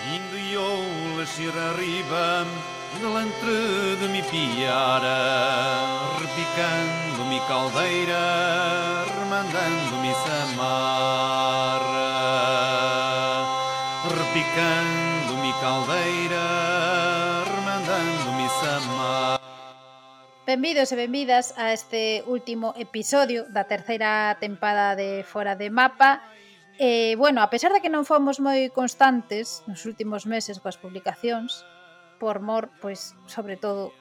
Indo eu lexir arriba, delante de mi piara, repicando-me caldeira, remandando-me samarra. Repicando-me caldeira, remandando-me samarra. Benvidos e benvidas a este último episodio da terceira tempada de Fora de Mapa. Bueno, a pesar de que non fomos moi constantes nos últimos meses coas publicacións, por mor, pois, sobre todo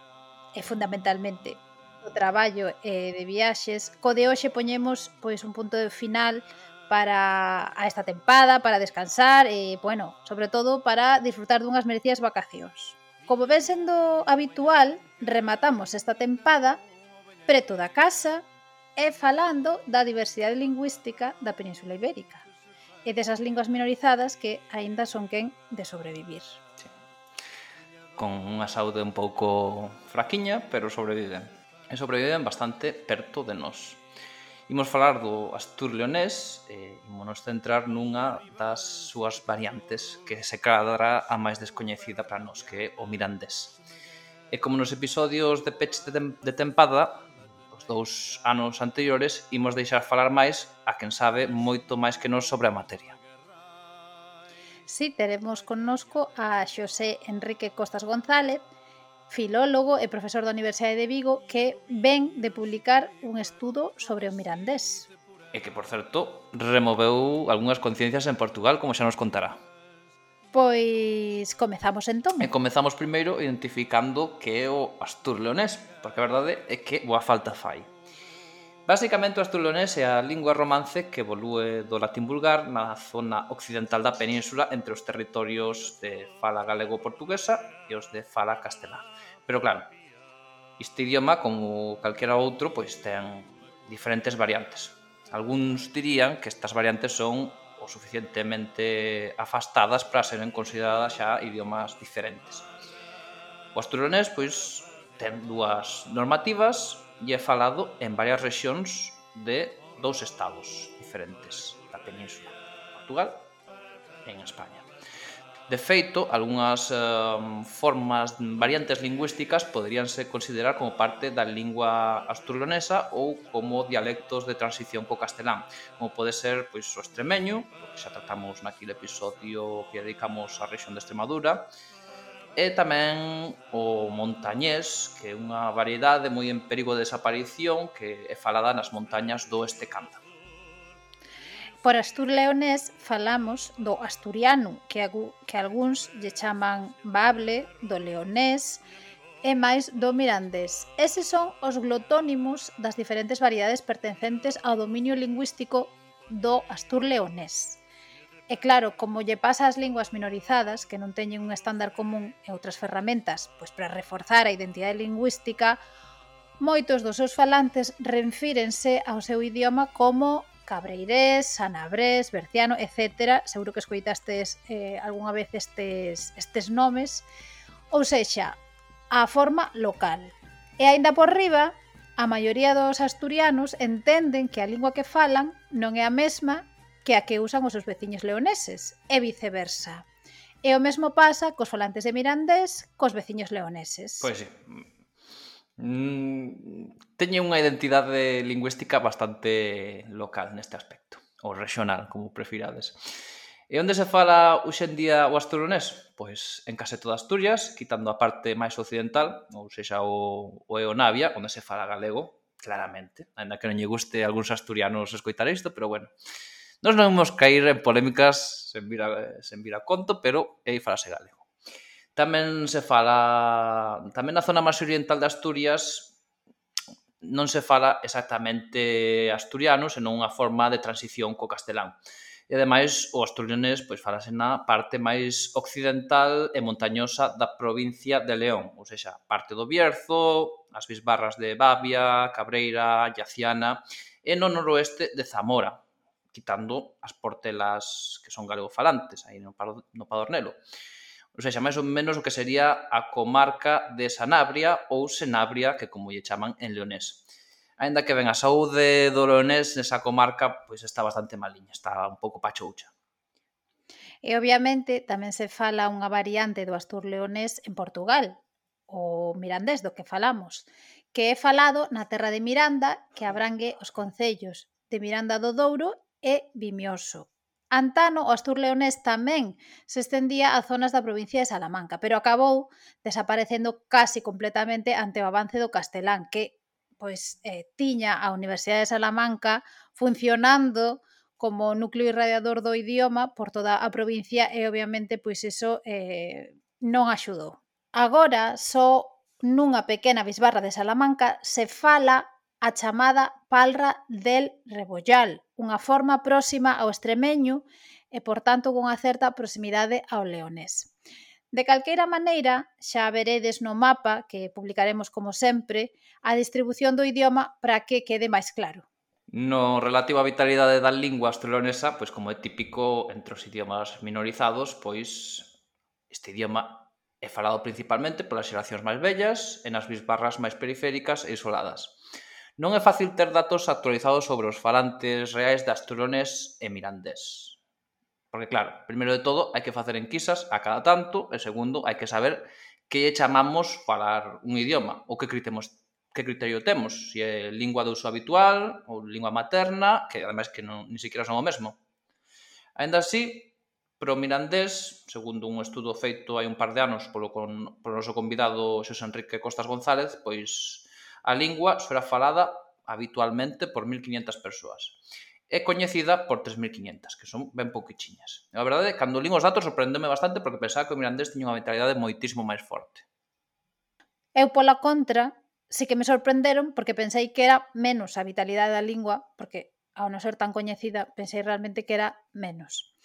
e fundamentalmente do traballo e de viaxes, co de hoxe poñemos pois un punto de final para a esta tempada, para descansar e, bueno, sobre todo para disfrutar dunhas merecidas vacacións. Como ven sendo habitual, rematamos esta tempada preto da casa e falando da diversidade lingüística da Península Ibérica e desas linguas minorizadas que aínda son quen de sobrevivir. Con unha saúde un pouco fraquiña, pero sobreviven. E sobreviven bastante perto de nós. Imos falar do astur leonés e imos centrar nunha das súas variantes, que se cadra a máis descoñecida para nós, que é o mirandés. E como nos episodios de peche de tempada, os 2 anos anteriores, imos deixar falar máis a quen sabe moito máis que nós sobre a materia. Si, teremos connosco a Xosé Enrique Costas González, filólogo e profesor da Universidade de Vigo, que ven de publicar un estudo sobre o mirandés. E que, por certo, removeu algunhas conciencias en Portugal, como xa nos contará. Pois comezamos entón. E comezamos primeiro identificando que é o astur leonés, porque a verdade é que boa falta fai. Basicamente, o astur leonés é a lingua romance que evolúe do latín vulgar na zona occidental da península entre os territorios de fala galego-portuguesa e os de fala castelá. Pero claro, este idioma, como calquera outro, pois ten diferentes variantes. Algúns dirían que estas variantes son o suficientemente afastadas para seren consideradas xa idiomas diferentes. O asturianés, pois, ten dúas normativas e é falado en varias rexións de 2 estados diferentes da península, Portugal e en España. De feito, algunhas formas, variantes lingüísticas poderíanse considerar como parte da lingua asturleonesa ou como dialectos de transición co castelán, como pode ser pois, o extremeño, que xa tratamos naquele episodio que dedicamos á rexión de Extremadura, e tamén o montañés, que é unha variedade moi en perigo de desaparición que é falada nas montañas do Oeste Cántabro. Por astur leonés falamos do asturiano, que algúns lle chaman bable, do leonés e máis do mirandés. Eses son os glotónimos das diferentes variedades pertencentes ao dominio lingüístico do astur leonés. E claro, como lle pasa ás linguas minorizadas, que non teñen un estándar común e outras ferramentas pois para reforzar a identidade lingüística, moitos dos seus falantes refírense ao seu idioma como cabreirés, sanabrés, berciano, etc. Seguro que escoitastes algunha vez estes nomes. Ou sexa, a forma local. E aínda por riba, a maioría dos asturianos entenden que a lingua que falan non é a mesma que a que usan os seus veciños leoneses, e viceversa. E o mesmo pasa cos falantes de mirandés cos veciños leoneses. Pois sí. Teñen unha identidade lingüística bastante local neste aspecto, ou regional, como prefirades. E onde se fala hoxe en día o asturianés? Pois en case toda Asturias, quitando a parte máis occidental, ou sexa o Eonavia, onde se fala galego, claramente, ainda que non lle guste a algúns asturianos escoitar isto, pero bueno. Nós non vamos cair en polémicas sen vir a conto, pero aí falase galego. Tamén se fala, tamén na zona máis oriental de Asturias non se fala exactamente asturiano, senón unha forma de transición co castelán. E ademais o asturianés pois falase na parte máis occidental e montañosa da provincia de León, ou seja, parte do Bierzo, as bisbarras de Babia, Cabreira, Llaciana e no noroeste de Zamora, quitando as portelas que son galegofalantes, aí no Padornelo. Ou seja, máis ou menos o que sería a comarca de Sanabria ou Senabria, que como lle chaman en leonés. Aínda que ben, a saúde do leonés nesa comarca pois está bastante maliña, está un pouco pachoucha. E, obviamente, tamén se fala unha variante do astur-leonés en Portugal, o mirandés do que falamos, que é falado na terra de Miranda, que abrangue os concellos de Miranda do Douro e Vimioso. Antano, o astur-leonés tamén se estendía a zonas da provincia de Salamanca, pero acabou desaparecendo casi completamente ante o avance do castelán, que tiña a Universidade de Salamanca funcionando como núcleo irradiador do idioma por toda a provincia e, obviamente, pois iso non axudou. Agora, só nunha pequena bisbarra de Salamanca se fala a chamada palra del Rebollal, unha forma próxima ao extremeño e, por tanto, cunha certa proximidade ao leonés. De calqueira maneira, xa veredes no mapa, que publicaremos como sempre, a distribución do idioma para que quede máis claro. No relativo á vitalidade da lingua asturleonesa, pois como é típico entre os idiomas minorizados, pois este idioma é falado principalmente polas xeracións máis vellas e nas bisbarras máis periféricas e isoladas. Non é fácil ter datos actualizados sobre os falantes reais de asturleonés e mirandés. Porque, claro, primeiro de todo, hai que facer enquisas a cada tanto, e segundo, hai que saber que lle chamamos falar un idioma, ou que criterio temos, se é lingua de uso habitual ou lingua materna, que ademais que non, ni siquiera son o mesmo. Aínda así, pro mirandés, segundo un estudo feito hai un par de anos polo noso convidado Xosé Enrique Costas González, pois a lingua será falada habitualmente por 1.500 persoas. É coñecida por 3.500, que son ben pouquichiñas. A verdade, cando lín os datos sorprendeme bastante porque pensaba que o mirandés tiña unha vitalidade moitísimo máis forte. Eu, pola contra, sí que me sorprenderon porque pensei que era menos a vitalidade da lingua, porque ao non ser tan coñecida pensei realmente que era menos.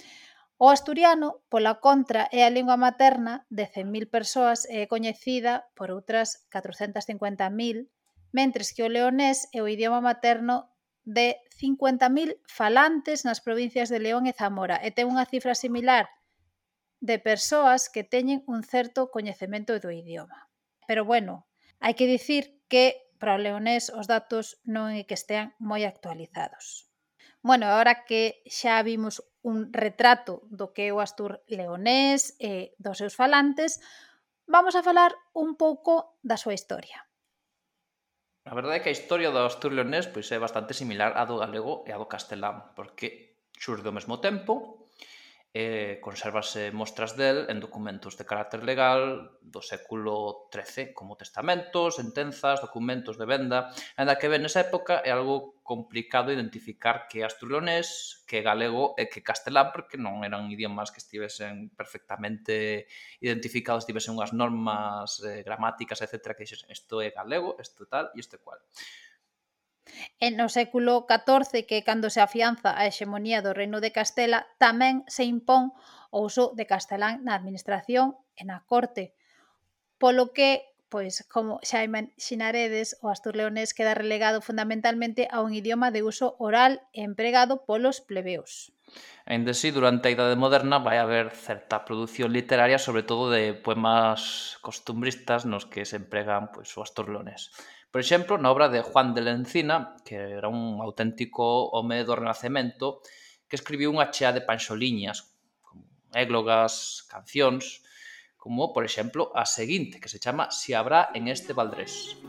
O asturiano, pola contra, é a lingua materna de 100.000 persoas e é coñecida por outras 450.000, mentres que o leonés é o idioma materno de 50.000 falantes nas provincias de León e Zamora e ten unha cifra similar de persoas que teñen un certo coñecemento do idioma. Pero, bueno, hai que dicir que para o leonés os datos non é que estean moi actualizados. Bueno, agora que xa vimos un retrato do que é o astur leonés e dos seus falantes, vamos a falar un pouco da súa historia. A verdade é que a historia do astur leonés pois é bastante similar á do galego e á do castelán, porque xurde ao mesmo tempo e consérvase mostras del en documentos de carácter legal do século XIII, como testamentos, sentenzas, documentos de venda. Ainda que ben nesa época é algo complicado identificar que é astur-leonés, que é galego e que castelán, porque non eran idiomas que estivesen perfectamente identificados, tivesen unhas normas gramáticas, etc., que dixesen isto é galego, isto tal e isto é cual. E no século XIV, que é cando se afianza a hexemonía do Reino de Castela, tamén se impón o uso de castelán na administración e na corte, polo que, pois, como xa imaxinaredes, o astur-leonés queda relegado fundamentalmente a un idioma de uso oral e empregado polos plebeos. Aínda así, durante a Idade Moderna vai haber certa produción literaria, sobre todo de poemas costumbristas nos que se empregan pois, o astur-leonés. Por exemplo, na obra de Juan de la Encina, que era un auténtico home do Renacemento, que escribiu unha chea de panxoliñas, como églogas, cancións, como, por exemplo, a seguinte, que se chama Si habrá en este Valdrés.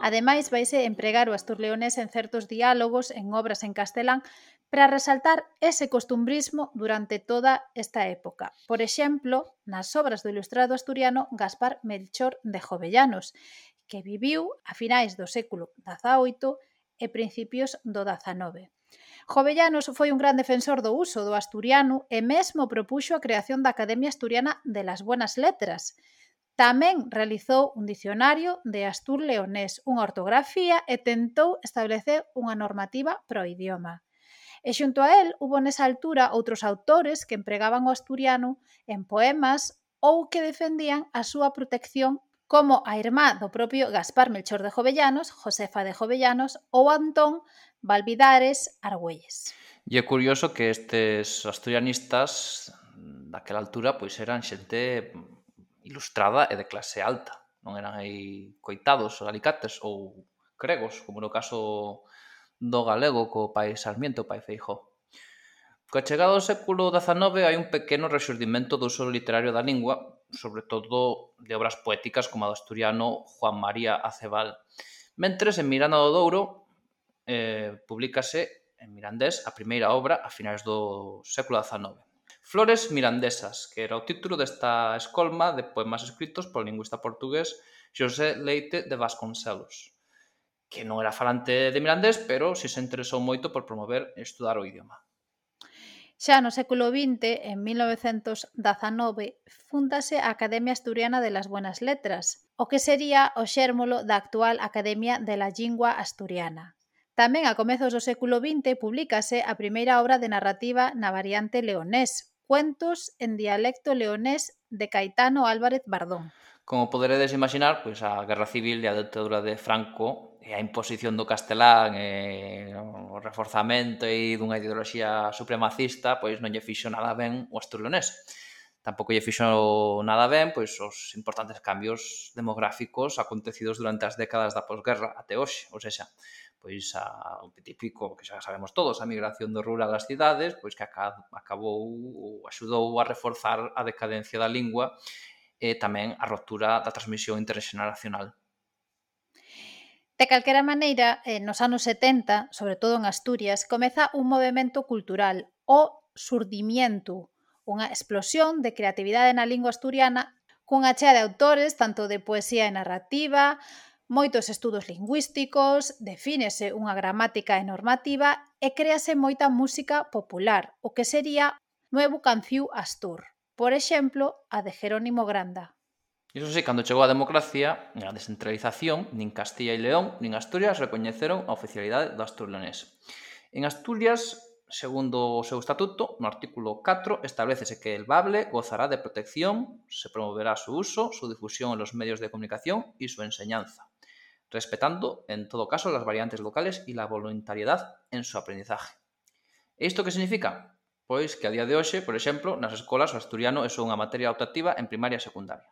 Ademais, vaise empregar o astur-leonés en certos diálogos en obras en castelán para resaltar ese costumbrismo durante toda esta época. Por exemplo, nas obras do ilustrado asturiano Gaspar Melchor de Jovellanos, que viviu a finais do século XVIII e principios do XIX. Jovellanos foi un gran defensor do uso do asturiano e mesmo propuxo a creación da Academia Asturiana de las Buenas Letras. Tamén realizou un dicionario de astur-leonés, unha ortografía e tentou establecer unha normativa pro idioma. E xunto a el, hubo nesa altura outros autores que empregaban o asturiano en poemas ou que defendían a súa protección, como a irmá do propio Gaspar Melchor de Jovellanos, Josefa de Jovellanos ou Antón Valvidares Argüelles. E é curioso que estes asturianistas daquela altura pois eran xente ilustrada e de clase alta. Non eran aí coitados, alicates ou gregos, como no caso do galego co pai Sarmiento, o pai Feijóo. Coa chegada do século XIX hai un pequeno rexurdimento do uso literario da lingua, sobre todo de obras poéticas como a do asturiano Juan María Acebal. Mentres, en Miranda do Douro, publícase en mirandés a primeira obra a finais do século XIX. Flores mirandesas, que era o título desta escolma de poemas escritos polo lingüista portugués Xosé Leite de Vasconcelos, que non era falante de mirandés, pero si se interesou moito por promover e estudar o idioma. Xa no século XX, en 1919, fúndase a Academia Asturiana de las Buenas Letras, o que sería o xérmolo da actual Academia de la Lingua Asturiana. Tamén a comezos do século XX publícase a primeira obra de narrativa na variante leonés, Cuentos en dialecto leonés de Caetano Álvarez Bardón. Como poderedes imaginar, pois a Guerra Civil e a ditadura de Franco e a imposición do castelán e o reforzamento e dunha ideoloxía supremacista pois non lle fixo nada ben o asturleonés. Tampouco lle fixo nada ben pois os importantes cambios demográficos acontecidos durante as décadas da posguerra até hoxe, ou seja, pois o típico que xa sabemos todos, a migración do rural ás cidades, pois que acabou ou axudou a reforzar a decadencia da lingua e tamén a ruptura da transmisión interxeneracional. De calquera maneira, nos anos 70, sobre todo en Asturias, comeza un movemento cultural, o surdimiento, unha explosión de creatividade na lingua asturiana cunha chea de autores, tanto de poesía e narrativa, moitos estudos lingüísticos, defínese unha gramática e normativa e créase moita música popular, o que sería Nuevo Canciu Astur, por exemplo, a de Jerónimo Granda. Iso sí, cando chegou a democracia, a descentralización, nin Castilla e León nin Asturias recoñeceron a oficialidade do asturleonés. En Asturias, segundo o seu estatuto, no artículo 4, establecese que el bable gozará de protección, se promoverá su uso, su difusión en los medios de comunicación y su enseñanza, respetando, en todo caso, las variantes locales y la voluntariedad en su aprendizaje. E isto que significa? Pois que a día de hoxe, por exemplo, nas escolas o asturiano é só unha materia optativa en primaria e secundaria.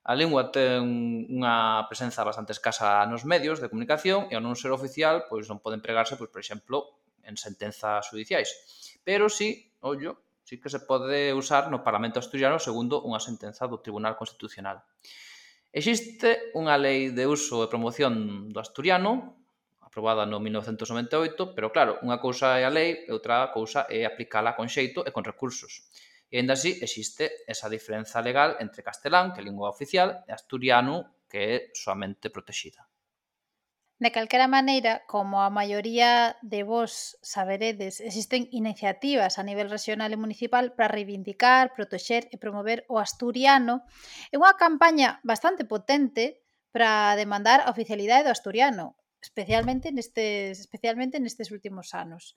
A lingua ten unha presenza bastante escasa nos medios de comunicación e ao non ser oficial, pois non pode empregarse, pois, por exemplo, en sentenzas judiciais. Pero sí, sí que se pode usar no Parlamento asturiano segundo unha sentenza do Tribunal Constitucional. Existe unha lei de uso e promoción do asturiano, aprobada no 1998, pero claro, unha cousa é a lei e outra cousa é aplicala con xeito e con recursos. E ainda así existe esa diferenza legal entre castelán, que é lingua oficial, e asturiano, que é soamente protexida. De calquera maneira, como a maioría de vos saberedes, existen iniciativas a nivel regional e municipal para reivindicar, protexer e promover o asturiano e unha campaña bastante potente para demandar a oficialidade do asturiano, especialmente nestes últimos anos.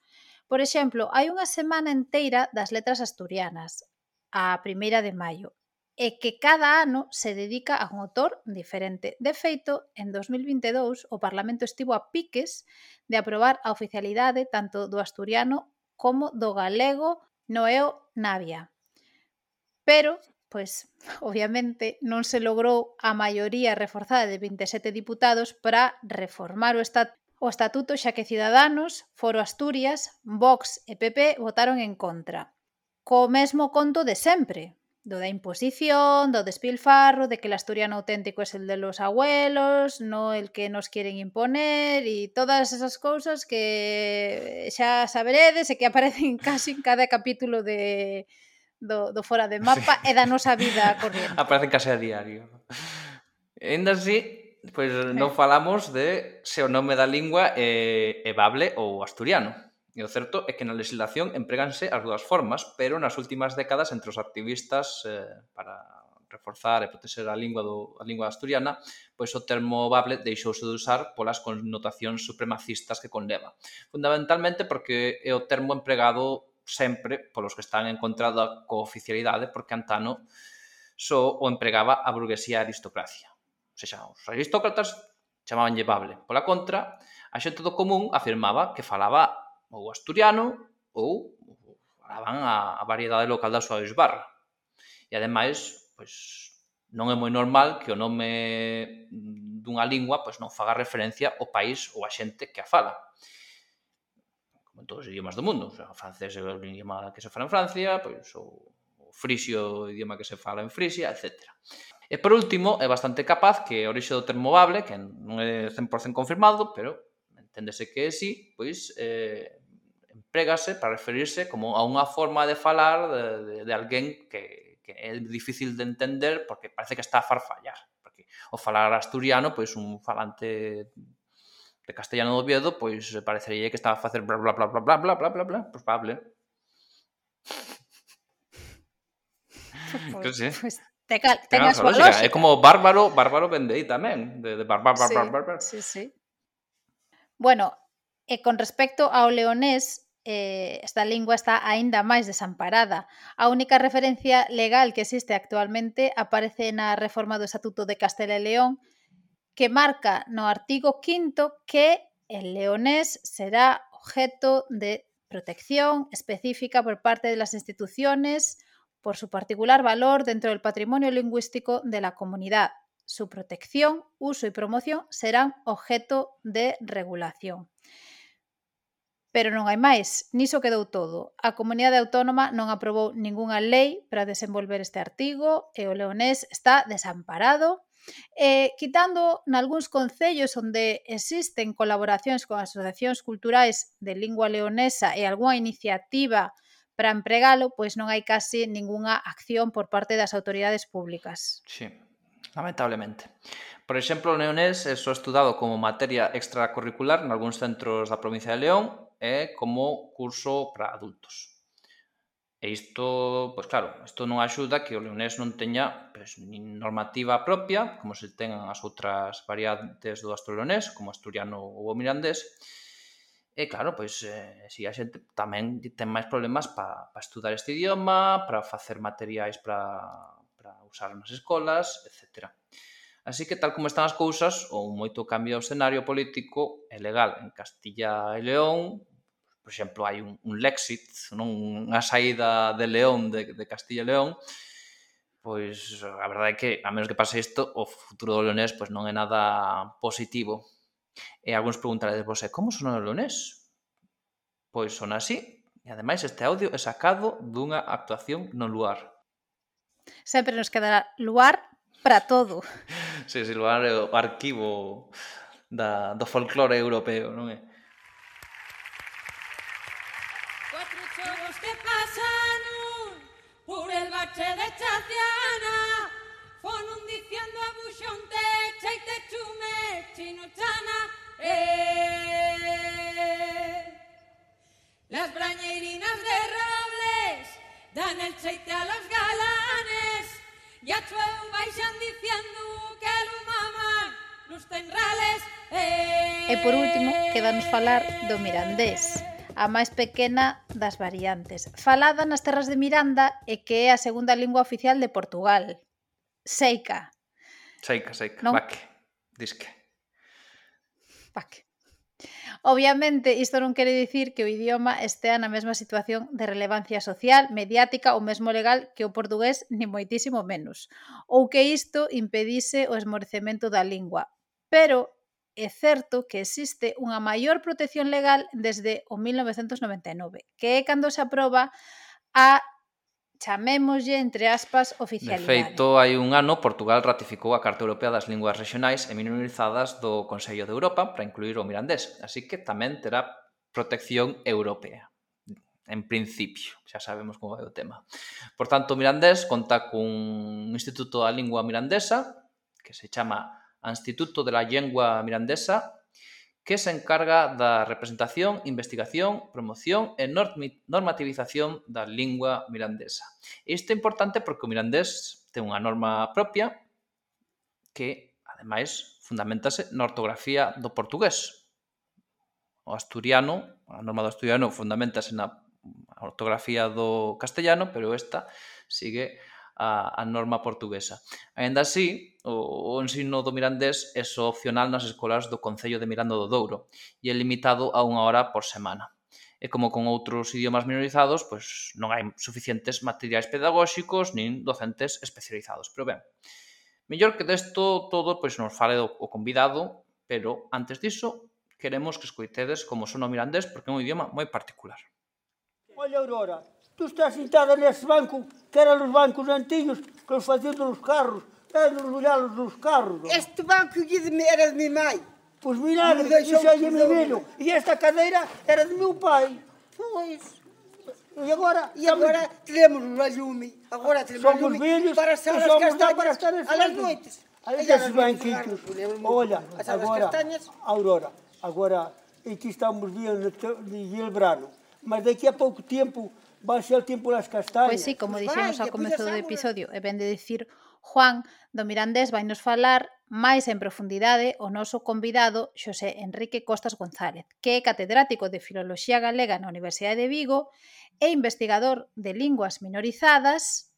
Por exemplo, hai unha semana enteira das letras asturianas, a 1ª de maio, e que cada ano se dedica a un autor diferente. De feito, en 2022, o Parlamento estivo a piques de aprobar a oficialidade tanto do asturiano como do galego no EO Navia. Pero, pois, obviamente, non se logrou a maioría reforzada de 27 diputados para reformar o estatuto, xa que Ciudadanos, Foro Asturias, Vox e PP votaron en contra. Co mesmo conto de sempre, do da imposición, do despilfarro, de que el asturiano auténtico es el de los abuelos, no el que nos quieren imponer e todas esas cousas que xa saberedes e que aparecen casi en cada capítulo do Fora de Mapa e da nosa vida corriente. Aparecen case a diario. Ainda así, pois non falamos de se o nome da lingua é bable ou asturiano. E o certo é que na legislación empréganse as dúas formas, pero nas últimas décadas entre os activistas para reforzar e proteger a lingua asturiana, pois o termo bable deixouse de usar polas connotacións supremacistas que conleva. Fundamentalmente porque é o termo empregado sempre polos que están en contra da cooficialidade, porque antano só o empregaba a burguesía e a aristocracia. O sea, os aristócratas chamabanlle bable. Pola contra, a xente do común afirmaba que falaba ou asturiano ou falaban a variedade local da súa bisbarra. E, ademais, pois, non é moi normal que o nome dunha lingua pois non faga referencia ao país ou a xente que a fala. Como en todos os idiomas do mundo. O sea, o francés é o idioma que se fala en Francia, pois o frisio é o idioma que se fala en Frisia, etc. E, por último, é bastante capaz que a orixe do termo bable, que non é 100% confirmado, pero enténdese que é sí, pois emprégase para referirse como a unha forma de falar de alguén que é difícil de entender porque parece que está a farfallar. Porque o falar asturiano, pois un falante de castellano do Oviedo, pois parecería que estaba a facer bla bla bla bla bla bla bla bla bla, pois bable. Pois ten a súa lógica. É como bárbaro vende aí tamén, de bárbaro. Sí. Bueno, e con respecto ao leonés, esta lingua está aínda máis desamparada. A única referencia legal que existe actualmente aparece na reforma do Estatuto de Castela e León, que marca no artigo 5º que el leonés será objeto de protección específica por parte de las instituciones por su particular valor dentro del patrimonio lingüístico de la comunidad. Su protección, uso y promoción serán objeto de regulación. Pero non hai máis, niso quedou todo. A Comunidade Autónoma non aprobou ningunha lei para desenvolver este artigo e o leonés está desamparado. Quitando nalgúns concellos onde existen colaboracións con asociacións culturais de lingua leonesa e algunha iniciativa para empregalo, pois non hai casi ningunha acción por parte das autoridades públicas. Sí, lamentablemente. Por exemplo, o leonés é só estudado como materia extracurricular nalgúns centros da provincia de León e como curso para adultos. E isto, pois claro, isto non axuda que o leonés non teña nin normativa propia, como se ten as outras variantes do asturianés, como asturiano ou o mirandés. E claro, pois si a xente tamén ten máis problemas para estudar este idioma, para facer materiais para usar nas escolas, etc. Así que, tal como están as cousas, ou moito cambio ao escenario político e legal en Castilla e León, por exemplo, hai un Lexit, unha saída de León, de Castilla e León, pois a verdade é que, a menos que pase isto, o futuro do leonés pois non é nada positivo. E algúns preguntaredes, como sona o leonés? Pois sona así, e ademais este audio é sacado dunha actuación no Luar. Sempre nos quedará Luar para todo. Sí, Luar é o arquivo do folclore europeo, non é? Cuatro chorros que pasan por el bache de Chaciana, fonun diciendo a buxonte, cheite chume, chino chana, Las brañerinas de robles dan el cheite a los galanes, y a chueu vaixan diciendo que lo maman los tenrales. E por último, quedanos falar do mirandés, a máis pequena das variantes, falada nas terras de Miranda e que é a segunda lingua oficial de Portugal. Seica. Seica, non? Baque, disque. Baque. Obviamente, isto non quere dicir que o idioma estea na mesma situación de relevancia social, mediática ou mesmo legal que o portugués, ni moitísimo menos, ou que isto impedise o esmorecemento da lingua. Pero é certo que existe unha maior protección legal desde o 1999, que é cando se aproba a, chamémoslle, entre aspas, oficialidade. De feito, hai un ano, Portugal ratificou a Carta Europea das Linguas Regionais e Minorizadas do Consello de Europa para incluir o mirandés, así que tamén terá protección europea. En principio, xa sabemos como vai o tema. Por tanto, o mirandés conta cun instituto da lingua mirandesa que se chama Instituto de la Lengua Mirandesa, que se encarga da representación, investigación, promoción e normativización da lingua mirandesa. Isto é importante porque o mirandés ten unha norma propia que, ademais, fundamentase na ortografía do portugués. O asturiano, a norma do asturiano fundamentase na ortografía do castellano, pero esta sigue a norma portuguesa. Aínda así, o ensino do mirandés é só opcional nas escolas do Concello de Miranda do Douro e é limitado a 1 hora por semana. E como con outros idiomas minorizados, pois non hai suficientes materiais pedagóxicos nin docentes especializados. Pero ben, mellor que desto todo pois nos fale o convidado, pero antes diso queremos que escoitedes como son o mirandés porque é un idioma moi particular. Olha, Aurora, tú estás sentada nesse banco que eran os bancos antigos que os faziam nos carros, nos olhalos nos carros. Este banco aqui era de minha mãe. Pois milagre, isso aí é meu velho. E esta cadeira era de meu pai. Pois. E agora temos a lume. Agora temos a somos lume velhos para e estar as somos lá para castanhas estar às noites. Olha esses banquitos. Olha, agora, Aurora, agora aqui estamos de Gilbrano, mas daqui a pouco tempo vai ser o tempo das castañas. Pois sí, como dixemos ao comezo do episodio, e ben de dicir Juan, do mirandés vai nos falar máis en profundidade o noso convidado Xosé Enrique Costas González, que é catedrático de Filoloxía Galega na Universidade de Vigo e investigador de linguas minorizadas,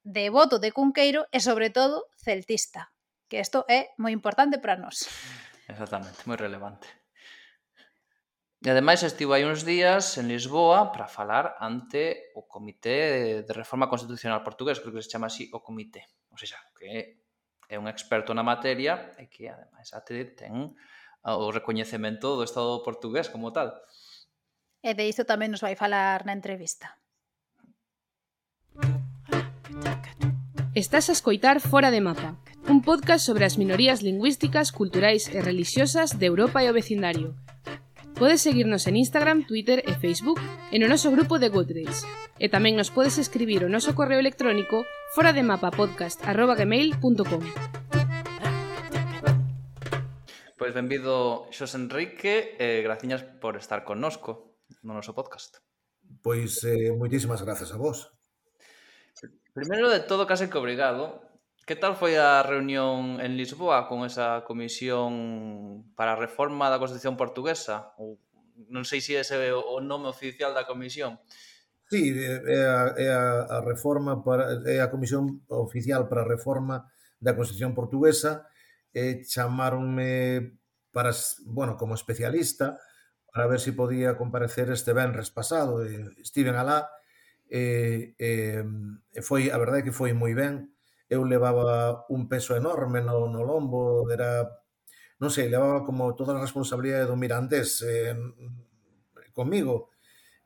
devoto de Cunqueiro e, sobre todo, celtista, que isto é moi importante para nós. Exactamente, moi relevante. E ademais estivo hai uns días en Lisboa para falar ante o Comité de Reforma Constitucional portugués, creo que se chama así o Comité. Ou seja, que é un experto na materia e que ademais ten o recoñecemento do Estado portugués como tal. E de isto tamén nos vai falar na entrevista. Estás a escoitar Fora de Mapa, un podcast sobre as minorías lingüísticas, culturais e religiosas de Europa e o vecindario. Podes seguirnos en Instagram, Twitter e Facebook e no noso grupo de Goodreads. E tamén nos podes escribir o noso correo electrónico forademapapodcast@gmail.com. Pois benvido Xosé Enrique e graciñas por estar connosco no noso podcast. Pois moitísimas grazas a vos. Primeiro de todo, case que obrigado. Que tal foi a reunión en Lisboa con esa comisión para a reforma da Constitución portuguesa? Ou non sei se ese é o nome oficial da comisión. Sí, é a reforma é a comisión oficial para a reforma da Constitución portuguesa. Chamáronme para, como especialista para ver se podía comparecer este venres pasado. Estiven alá. Foi, a verdade é que foi moi ben. Eu levaba un peso enorme no lombo, non sei, levaba como toda a responsabilidade do mirandés comigo.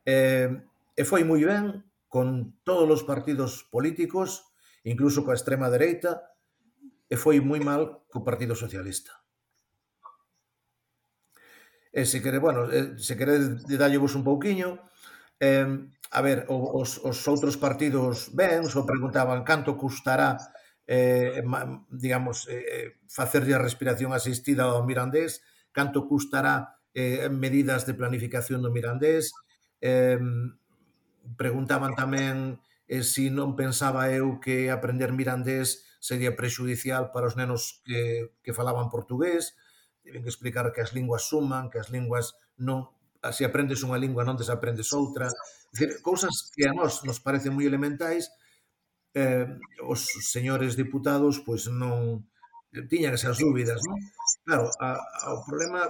E foi moi ben con todos os partidos políticos, incluso coa extrema dereita, e foi moi mal co Partido Socialista. E se queredes dallevos un pouquiño, a ver, os outros partidos ben, só preguntaban canto custará facerlle a respiración asistida ao mirandés, canto custará medidas de planificación do mirandés, preguntaban tamén se non pensaba eu que aprender mirandés sería prexudicial para os nenos que falaban portugués. Tiven que explicar que as linguas suman, que as linguas non, se aprendes unha lingua non desaprendes outra. É dicir, cousas que a nós nos parecen moi elementais, os señores diputados pois non tiñan esas dúbidas, non? Claro, o problema,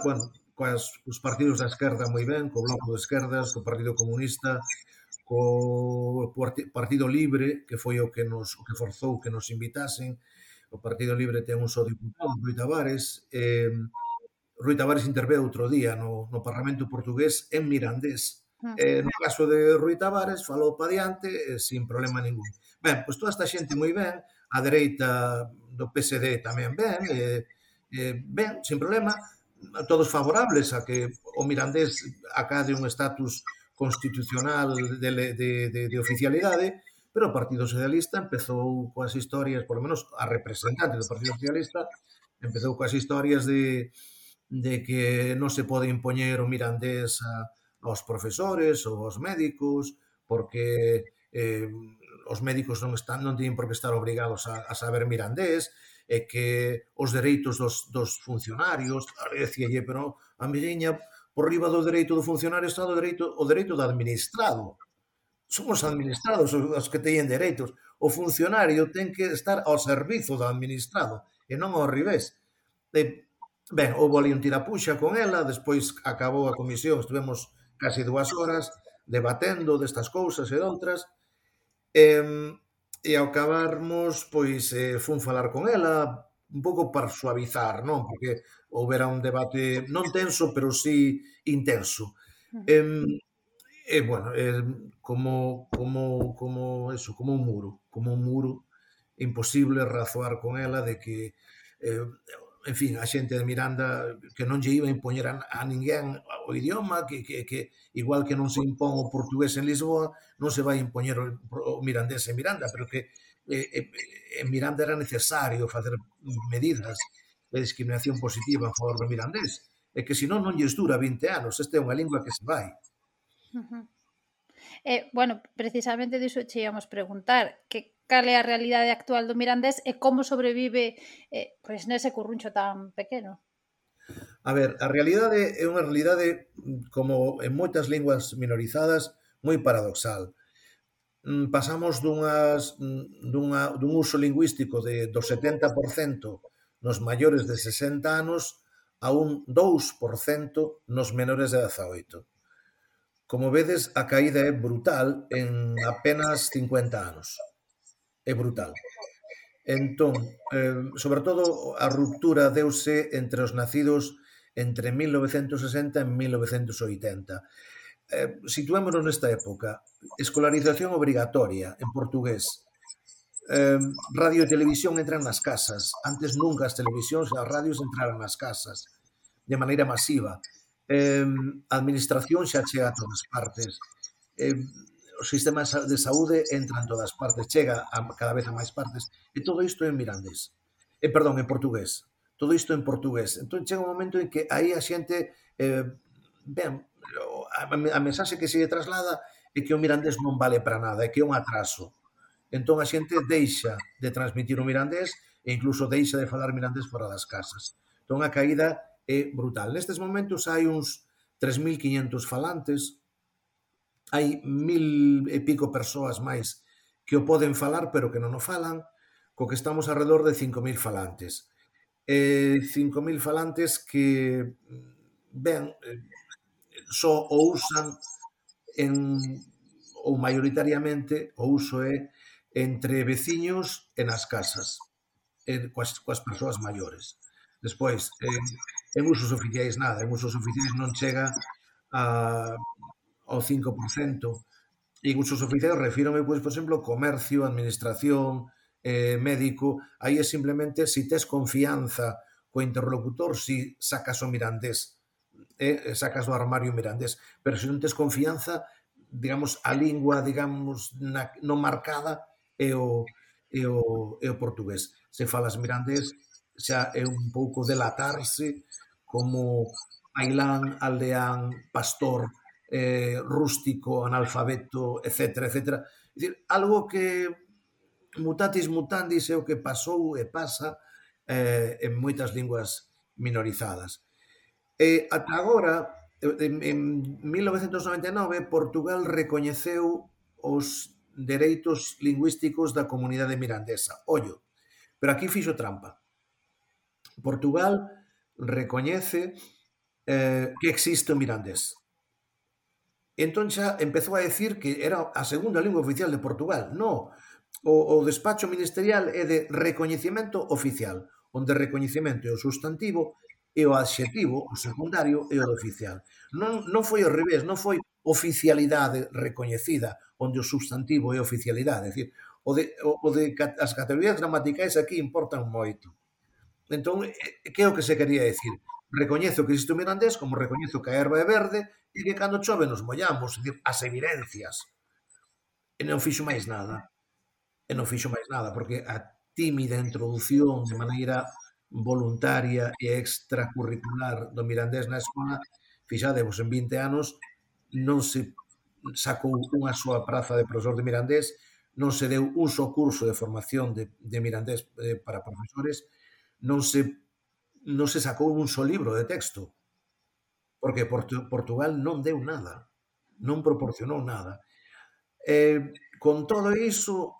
cos partidos da esquerda moi ben, co Bloco de Esquerdas, co Partido Comunista, co Partido Libre, que foi o que forzou que nos invitasen. O Partido Libre ten un só diputado, Rui Tavares. Rui Tavares interveu outro día no Parlamento portugués en mirandés. No caso de Rui Tavares, falou pa diante sin problema ningún. Ben, pois toda esta xente moi ben, a dereita do PSD tamén ben, sin problema, todos favorables a que o mirandés acade un estatus constitucional de oficialidade, pero o Partido Socialista empezou coas historias, por lo menos a representante do Partido Socialista, empezou coas historias de que non se pode impoñer o mirandés aos profesores ou aos médicos, porque os médicos non teñen por que estar obrigados a saber mirandés, e que os dereitos dos funcionarios, decíalle, pero a miña, por riba do dereito do funcionario está o dereito do administrado. Son os administrados os que teñen dereitos. O funcionario ten que estar ao servizo do administrado e non ao revés. Ben, houve ali un tirapuxa con ela, despois acabou a comisión, estivemos casi 2 horas debatendo destas cousas e doutras, e ao acabarmos, pois, fun falar con ela, un pouco para suavizar, non? Porque houbera un debate non tenso, pero sí intenso. Bueno, como un muro, imposible razoar con ela de que, en fin, a xente de Miranda que non lle iba a impoñer a ninguén o idioma, que igual que non se impón o portugués en Lisboa, non se vai impoñer o mirandés en Miranda, pero que en Miranda era necesario facer medidas de discriminación positiva a favor do mirandés, e que senón non lles dura 20 anos, esta é unha lingua que se vai. Bueno, precisamente diso che íamos preguntar, que cal é a realidade actual do mirandés e como sobrevive pois nese curruncho tan pequeno. A ver, a realidade é unha realidade, como en moitas linguas minorizadas, moi paradoxal. Pasamos dun uso lingüístico do 70% nos maiores de 60 anos a un 2% nos menores de 18. Como vedes, a caída é brutal en apenas 50 anos. É brutal. Entón, sobre todo, a ruptura deuse entre os nacidos entre 1960 e 1980. Situémonos nesta época. Escolarización obrigatoria en portugués. Radio e televisión entran nas casas. Antes nunca as televisións e as radios entraran nas casas de maneira masiva. A administración xa chega a todas partes. O sistema de saúde entra en todas partes, chega cada vez a máis partes, e todo isto en mirandés. En portugués. Todo isto en portugués. Entón chega un momento en que aí a xente, ben, a mensaxe que se traslada é que o mirandés non vale para nada, é que é un atraso. Entón a xente deixa de transmitir o mirandés e incluso deixa de falar mirandés fora das casas. Entón a caída é brutal. Nestes momentos hai uns 3.500 falantes, hai 1.000 e pico persoas máis que o poden falar, pero que non o falan, co que estamos alrededor de 5.000 falantes. 5.000 falantes que, ben, só o usan ou maioritariamente o uso é entre veciños e nas casas, coas persoas maiores. Despois, en usos oficiais nada, en usos oficiais non chega ao 5%. En usos oficiais refírome, pois, por exemplo, comercio, administración, médico. Aí é simplemente se tes confianza co interlocutor, si sacas o mirandés, sacas do armario mirandés. Pero se non tes confianza, digamos, a lingua, digamos, non marcada é o portugués. Se falas mirandés, xa é un pouco delatarse como ailán, aldeán, pastor, rústico, analfabeto, etc. É dicir, algo que mutatis mutandis é o que pasou e pasa en moitas linguas minorizadas. Ata agora, en 1999, Portugal recoñeceu os dereitos lingüísticos da comunidade mirandesa. Ollo, pero aquí fixo trampa. Portugal recoñece que existe o mirandés. Entón xa empezou a decir que era a segunda lingua oficial de Portugal. No, o despacho ministerial é de recoñecemento oficial, onde recoñecemento é o sustantivo e o adxetivo, o secundario, é o do oficial. Non foi ao revés, non foi oficialidade recoñecida, onde o substantivo é oficialidade. É dicir, as categorías gramaticais aquí importan moito. Entón, que é o que se quería decir? Recoñezo que existe o mirandés, como recoñezo que a erva é verde e que cando chove nos mollamos, é dicir, as evidencias. E non fixo máis nada. Porque a tímida introdución de maneira voluntaria e extracurricular do mirandés na escola, fixadevos, en 20 anos non se sacou unha soa praza de profesor de mirandés, non se deu un só curso de formación de mirandés para profesores, non se sacou un só libro de texto, porque Portugal non deu nada, non proporcionou nada. Con todo iso,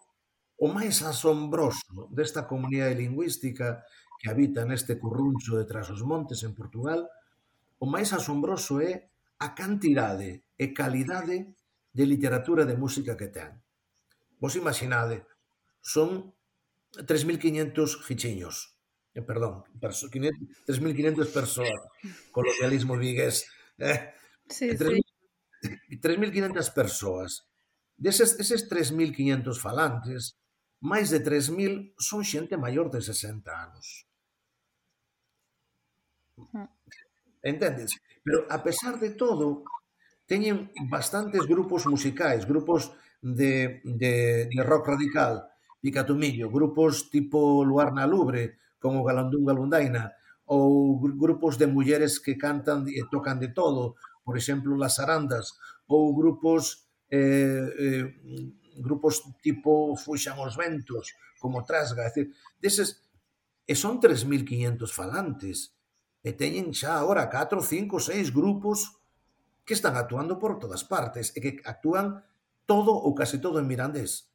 o máis asombroso desta comunidade lingüística que habita neste curruncho de Trás-os-Montes en Portugal, o máis asombroso é a cantidade e calidade de literatura de música que ten. Vos imaginade, son 3.500 fichiños, perdón, 3.500 persoas, colonialismo vigués, Sí, 3.500 persoas. Eses 3.500 falantes, máis de 3.000 son xente maior de 60 anos. Entendes? Pero, a pesar de todo, teñen bastantes grupos musicais, grupos de rock radical, Picatumillo, grupos tipo Luar na Lubre, como Galandún Galundaina, ou grupos de mulleres que cantan e tocan de todo, por exemplo, Las Arandas, ou grupos tipo Fuxan os Ventos, como Trasga, é dicir, deses, e son 3.500 falantes, e teñen xa agora 4, 5, 6 grupos que están actuando por todas partes e que actúan todo ou case todo en mirandés.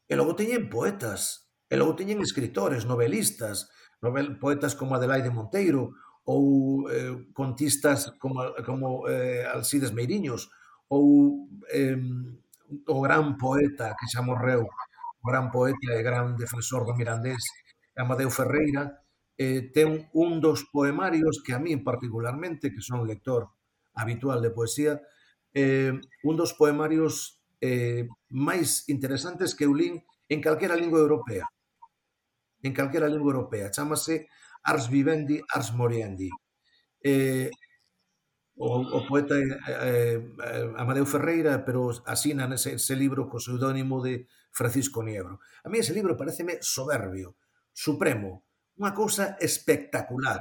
E logo teñen poetas, e logo teñen escritores, novelistas, poetas como Adelaide Monteiro ou contistas como Alcides Meiriños ou o gran poeta que xa morreu, o gran poeta e gran defensor do mirandés, Amadeu Ferreira, ten un dos poemarios que a mí particularmente, que son lector habitual de poesía, un dos poemarios máis interesantes que eu lín en calquera lingua europea. En calquera lingua europea. Chámase Ars Vivendi, Ars Moriendi. O poeta Amadeu Ferreira, pero asina ese libro co pseudónimo de Francisco Niebro. A mí ese libro pareceme soberbio, supremo, unha cousa espectacular,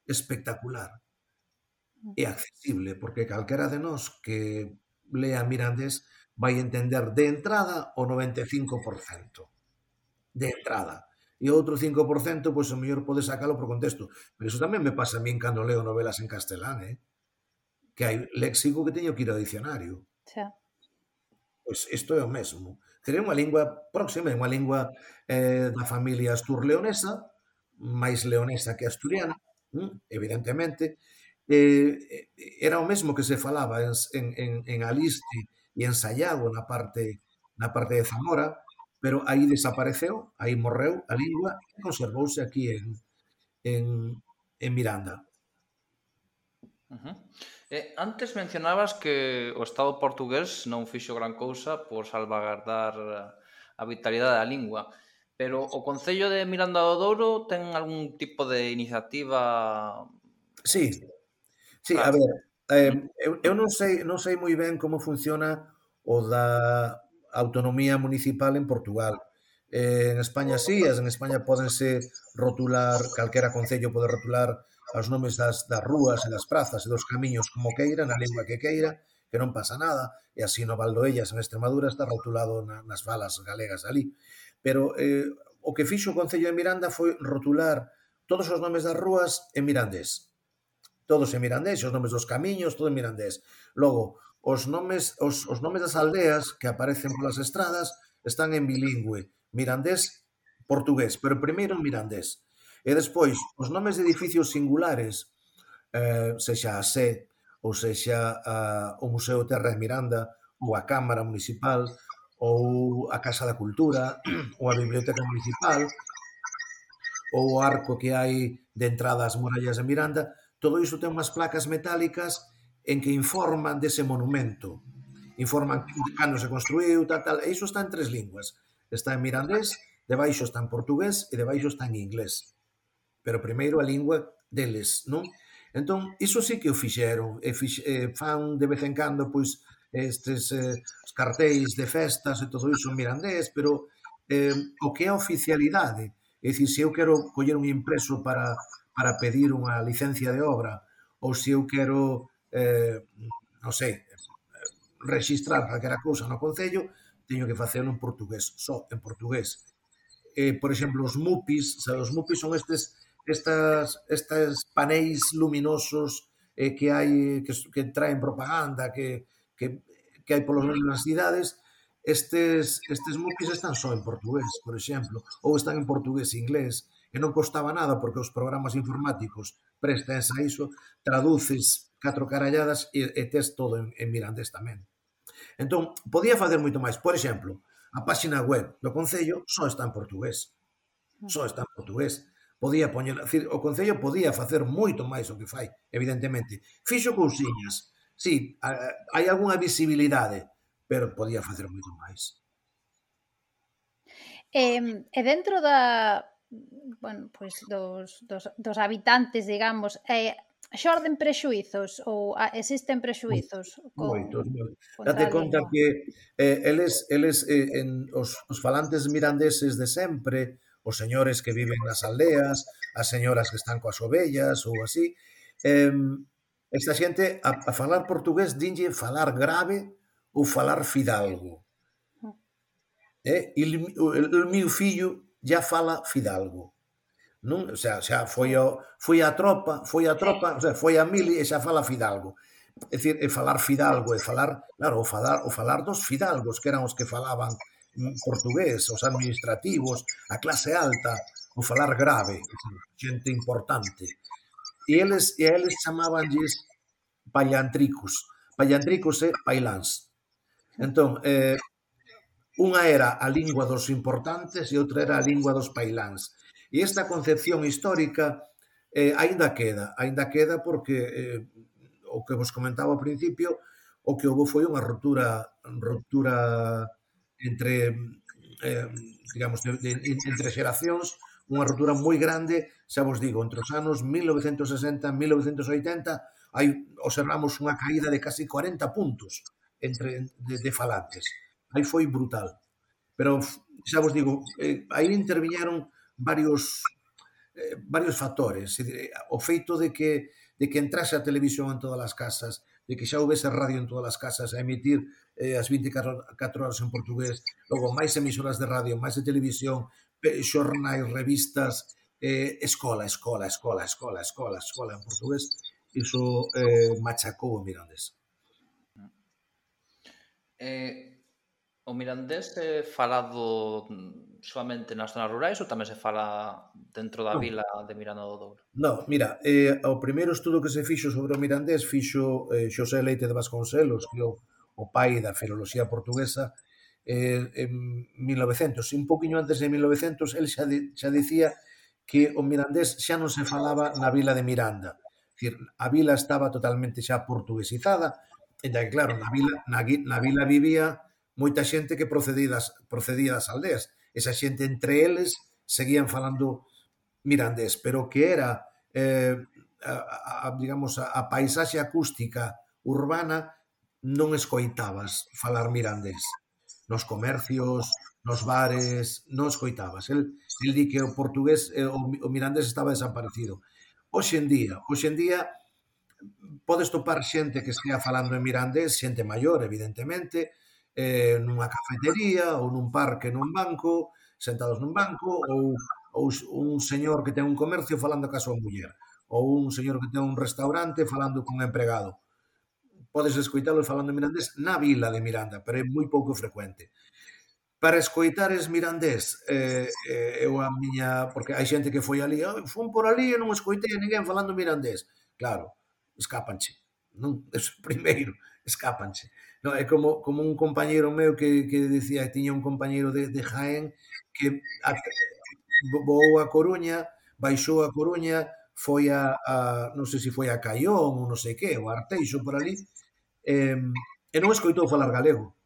espectacular. E accesible, porque calquera de nós que lea mirandés vai entender de entrada o 95%. De entrada. E o outro 5%, pois o mellor pode sacalo por contexto. Pero iso tamén me pasa a min cando leo novelas en castelán, que hai léxico que teño que ir ao dicionario. Xa. Pois isto é o mesmo. Sería unha lingua próxima, unha lingua da familia astur-leonesa, máis leonesa que asturiana, evidentemente. Era o mesmo que se falaba en Aliste e en Sayago, na parte de Zamora, pero aí desapareceu, aí morreu a lingua e conservouse aquí en Miranda. Antes mencionabas que o Estado portugués non fixo gran cousa por salvagardar a vitalidade da lingua, pero o Concello de Miranda do Douro ten algún tipo de iniciativa? Sí, a ver, eu non sei moi ben como funciona o da autonomía municipal en Portugal. En España sí, en España pódense rotular, calquera concello pode rotular os nomes das rúas e das prazas e dos camiños como queira, na lingua que queira, que non pasa nada, e así no Valdoellas en Extremadura está rotulado nas falas galegas ali. Pero o que fixo o Concello de Miranda foi rotular todos os nomes das rúas en mirandés. Todos en mirandés, os nomes dos camiños, todo en mirandés. Logo, os nomes das aldeas que aparecen polas estradas están en bilingüe, mirandés-portugués, pero primeiro en mirandés. E despois, os nomes de edificios singulares, sexa a Sé, ou sexa o Museo Terra de Miranda, ou a Cámara Municipal, ou a Casa da Cultura, ou a Biblioteca Municipal, ou o arco que hai de entrada ás murallas de Miranda, todo iso ten unhas placas metálicas en que informan dese monumento. Informan cando se construiu, tal, e iso está en 3 linguas. Está en mirandés, debaixo está en portugués e debaixo está en inglés. Pero primeiro a lingua deles, non? Entón, iso sí que o fixeron, fan de vez en cando, pois, estes cartéis de festas e todo iso en mirandés, pero o que é a oficialidade, é dicir, se eu quero coller un impreso para pedir unha licencia de obra, ou se eu quero, non sei, registrar calquera cousa no Concello, teño que facelo en portugués, só en portugués. Por exemplo, os mupis, os mupis son estes paneis luminosos que hai que traen propaganda, que hai polas universidades. Estes mupis están só en portugués, por exemplo, ou están en portugués e inglés, e non costaba nada porque os programas informáticos prestas a iso, traduces 4 caralladas e tes todo en mirandés tamén. Entón, podía facer moito máis. Por exemplo, a páxina web do Concello só está en portugués. Só está en portugués. Podía poñer, o Concello podía facer moito máis o que fai, evidentemente. Fixo cousiñas. Sí, hai algunha visibilidade, pero podía facer moito máis. E dentro dos habitantes, digamos, xorden prexuizos ou existen prexuizos? Moitos. Date conta que os falantes mirandeses de sempre, os señores que viven nas aldeas, as señoras que están coas ovellas ou así, esta xente a falar portugués dinlle falar grave ou falar fidalgo. O meu fillo já fala fidalgo. Non? O sea, xa foi a tropa, o sea, foi a mili e xa fala fidalgo. É dicir, falar fidalgo e falar, claro, o falar dos fidalgos, que eran os que falaban portugués, os administrativos, a clase alta, o falar grave, xente importante. E a eles chamábanlles pallantricos. Pallantricos e pailáns. Entón, unha era a lingua dos importantes e outra era a lingua dos pailáns. E esta concepción histórica aínda queda porque o que vos comentaba ao principio, o que houve foi unha ruptura entre digamos, entre xeracións, unha ruptura moi grande, xa vos digo, entre os anos 1960 e 1980 observamos unha caída de casi 40 puntos de falantes. Aí foi brutal. Pero, xa vos digo, aí interviñeron varios factores. O feito de que entrase a televisión en todas as casas, de que xa houvese radio en todas as casas a emitir as 24 horas en portugués, logo máis emisoras de radio, máis de televisión, xornais, revistas, escola en portugués, iso machacou o mirandés. O mirandés é falado soamente nas zonas rurais ou tamén se fala dentro da vila de Miranda do Douro? Non, mira, o primeiro estudo que se fixo sobre o mirandés fixo Xosé Leite de Vasconcelos, que é o pai da filoloxía portuguesa, en 1900, un poquinho antes de 1900, el xa dicía que o mirandés xa non se falaba na vila de Miranda. É dicir, a vila estaba totalmente xa portuguesizada, e que claro, na vila vivía moita xente que procedía das aldeas. Esa xente entre eles seguían falando mirandés, pero que era, digamos, a paisaxe acústica urbana non escoitabas falar mirandés. Nos comercios, nos bares, non escoitabas. El di que o portugués, o mirandés estaba desaparecido. Hoxe en día, podes topar xente que estea falando en mirandés, xente maior, evidentemente, nunha cafetería ou nun parque nun banco, sentados nun banco, ou un señor que ten un comercio falando ca súa muller, ou un señor que ten un restaurante falando con un empregado. Podes escoitalos falando en mirandés na vila de Miranda, pero é moi pouco frecuente. Para escoitares mirandés, porque hai xente que foi ali, fun por ali e non escoitei a ninguén falando mirandés. Claro, escápanche. Non, eso primeiro, escápanche. No, é como un compañeiro meu que dicía que tiña un compañeiro de Jaén que voou a Coruña, baixou a Coruña, foi non sei se foi a Caión ou non sei que, ou a Arteixo por ali, e non escoitou falar galego.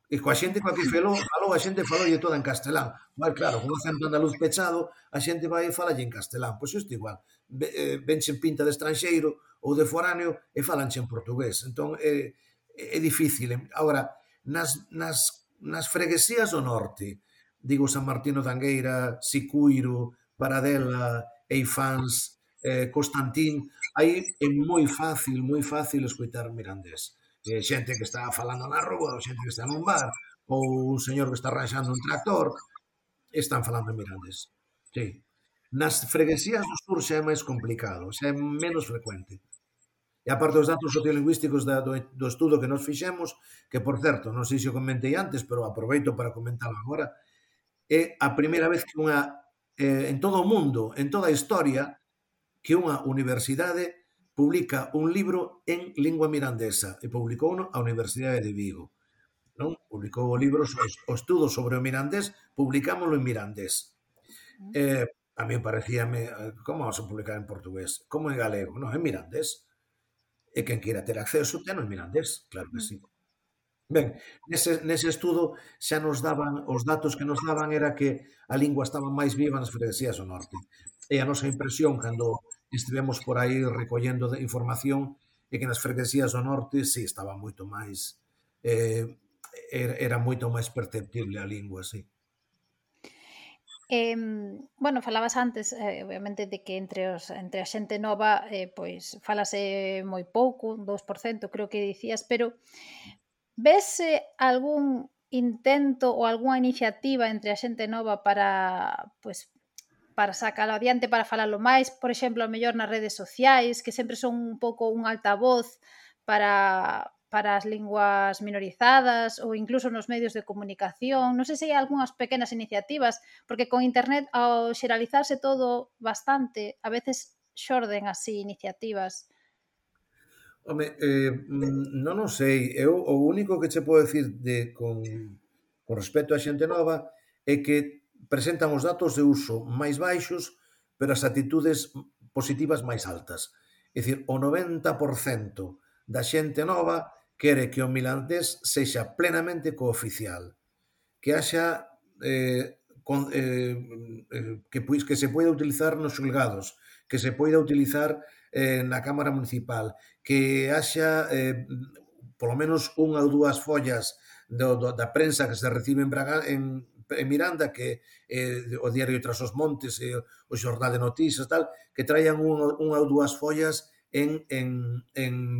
E coa xente coa que falou, a xente faloulle toda en castelán. Mas claro, con o acento andaluz pechado, a xente vai e falalle en castelán. Pois isto igual. Venche pinta de estranxeiro ou de foráneo e falanche en portugués. Entón, é difícil. Agora, nas freguesías do norte, digo San Martino de Angueira, Sicuiro, Paradela, Eifáns, Constantín, aí é moi fácil escoitar mirandés. Xente que está falando na rúa, ou xente que está nun bar, ou un señor que está arranxando un tractor, están falando en mirandés. Sí. Nas freguesías do sur xa é máis complicado, xa é menos frecuente. E aparte os datos sociolingüísticos do estudo que nos fixemos, que, por certo, non sei se o comentei antes, pero aproveito para comentar agora, é a primeira vez que en todo o mundo, en toda a historia, que unha universidade publica un libro en lingua mirandesa, e publicouno a Universidade de Vigo. Non? Publicou o libro, o estudo sobre o mirandés, publicámoslo en mirandés. A mí parecíame, como vamos a publicar en portugués? Como en galego? Non, en mirandés. E quen queira ter acceso, ten en mirandés, claro que sí. Ben, nese estudo xa nos daban, os datos que nos daban era que a lingua estaba máis viva nas freguesías do norte. E a nosa impresión, cando estivemos por aí recollendo información, é que nas freguesías do norte, sí, estaba moito máis, era moito máis perceptible a lingua, sí. Bueno, falabas antes, obviamente, de que entre a xente nova, pois, falase moi pouco, 2%, creo que dicías, pero vese algún intento ou algunha iniciativa entre a xente nova para, pois, para sacalo adiante, para falalo máis, por exemplo, a mellor nas redes sociais, que sempre son un pouco un altavoz para as linguas minorizadas ou incluso nos medios de comunicación. Non sei se hai algunhas pequenas iniciativas, porque con internet, ao xeralizarse todo bastante, a veces xorden así iniciativas. Home, non o sei. Eu o único que che podo dicir con respecto á xente nova é que presentan os datos de uso máis baixos, pero as actitudes positivas máis altas. É dicir, o 90% da xente nova quere que o mirandés sexa plenamente cooficial, que haxa que se poida utilizar nos xulgados, que se poida utilizar na Cámara Municipal, que haxa polo menos unha ou dúas follas da prensa que se recibe en Miranda, que o Diario Tras os Montes e o Xornal de Noticias, tal, que traian unha ou dúas follas en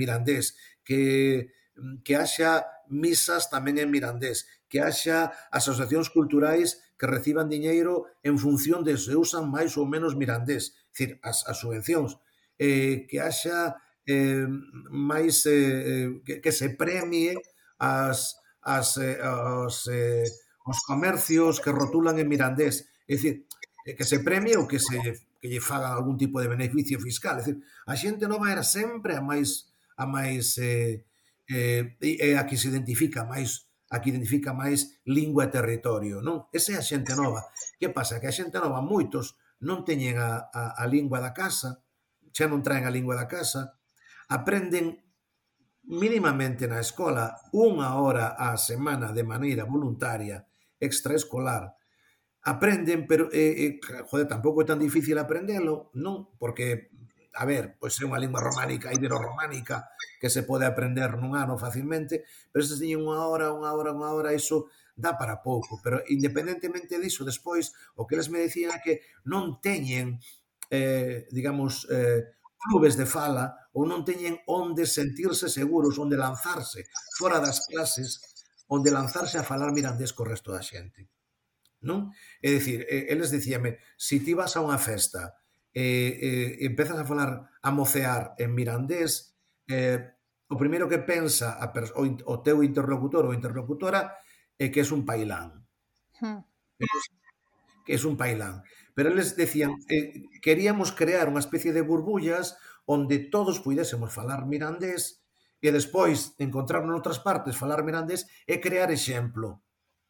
mirandés, que haxa misas tamén en mirandés, que haxa asociacións culturais que reciban diñeiro en función de se usan máis ou menos mirandés, é dicir, as subvencións, que haxa máis que se premie os comercios que rotulan en mirandés, é dicir, que se premie ou que lle fagan algún tipo de beneficio fiscal. É dicir, a xente nova era sempre a máis a que se identifica máis lingua e territorio, non? Esa é a xente nova. Que pasa? Que a xente nova, moitos, non teñen a lingua da casa, xa non traen a lingua da casa, aprenden mínimamente na escola 1 hora á semana de maneira voluntaria, extraescolar, aprenden, pero, tampouco é tan difícil aprendelo, non? Porque, a ver, pois é unha lingua románica, ibero-románica, que se pode aprender nun ano facilmente, pero se teñen 1 hora, iso dá para pouco. Pero, independentemente diso, despois, o que eles me dicían é que non teñen, digamos, clubes de fala, ou non teñen onde sentirse seguros, onde lanzarse fora das clases, onde lanzarse a falar mirandés co resto da xente. Non? É dicir, eles dicíame, se ti vas a unha festa e empezas a falar, a mocear en mirandés, o primeiro que pensa o teu interlocutor ou interlocutora é que és un pailán. Que és un pailán. Pero eles decían, queríamos crear unha especie de burbullas onde todos puidésemos falar mirandés e despois encontrar noutras partes falar mirandés e crear exemplo,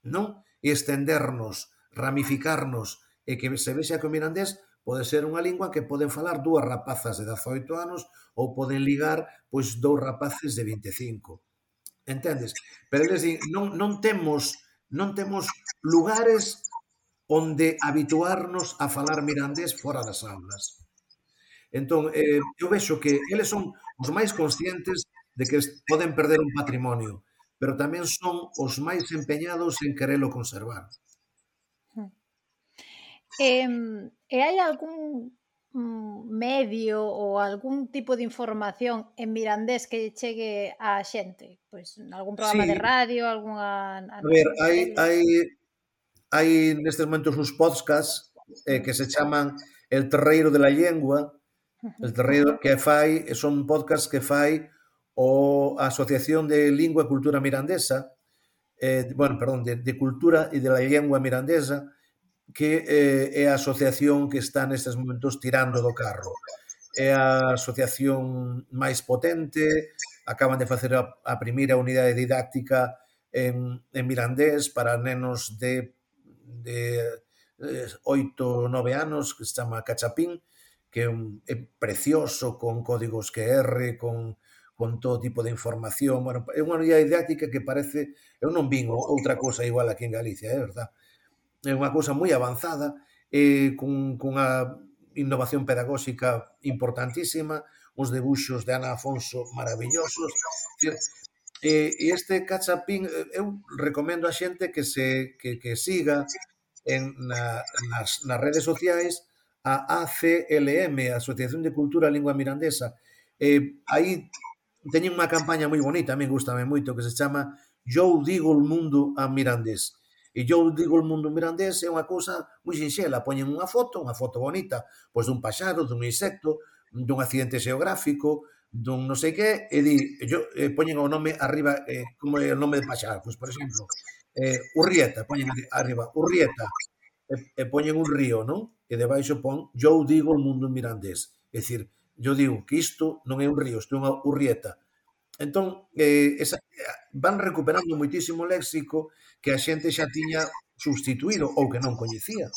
non? E estendernos, ramificarnos, e que se vexa que o mirandés pode ser unha lingua que poden falar 2 rapazas de 18 anos ou poden ligar pois 2 rapaces de 25. Entendes? Pero eles din, non temos lugares onde habituarnos a falar mirandés fora das aulas. Entón, eu vexo que eles son os máis conscientes de que poden perder un patrimonio, pero tamén son os máis empeñados en querelo conservar. E hai algún medio ou algún tipo de información en mirandés que chegue á xente? Pois algún programa de Sí, radio, algunha a ver, tele? hai nestes momentos uns podcasts que se chaman El Terreiro de la Lengua, el terreiro que fai, son podcasts que fai a Asociación de Lingua e Cultura Mirandesa, de Cultura e de la Lengua Mirandesa, que é a asociación que está nestes momentos tirando do carro. É a asociación máis potente, acaban de facer a primeira unidade didáctica en mirandés para nenos de 8 ou 9 anos, que se chama Cachapín, que é precioso, con códigos QR, con todo tipo de información. Bueno, é unha unidade didáctica que parece... Eu non vin outra cousa igual aquí en Galicia, é verdad. É unha cousa moi avanzada, cunha innovación pedagóxica importantísima, uns debuxos de Ana Afonso maravillosos. E este Cachapín, eu recomendo a xente que siga nas redes sociais a ACLM, a Asociación de Cultura e Lingua Mirandesa. Aí teñen unha campaña moi bonita, a mí gustame moito, que se chama Eu digo o mundo a mirandés. E eu digo o mundo mirandés é unha cousa moi sinxela, poñen unha foto bonita, pois dun paxaro, dun insecto, dun accidente xeográfico, dun non sei que, e poñen o nome arriba, como é o nome de paxaro, pois, por exemplo, Urrieta, poñen arriba, Urrieta, e poñen un río, non? E debaixo pon, eu digo o mundo mirandés. É dicir, eu digo que isto non é un río, isto é unha Urrieta. Entón, van recuperando moitísimo léxico que a xente xa tiña substituído ou que non coñecía.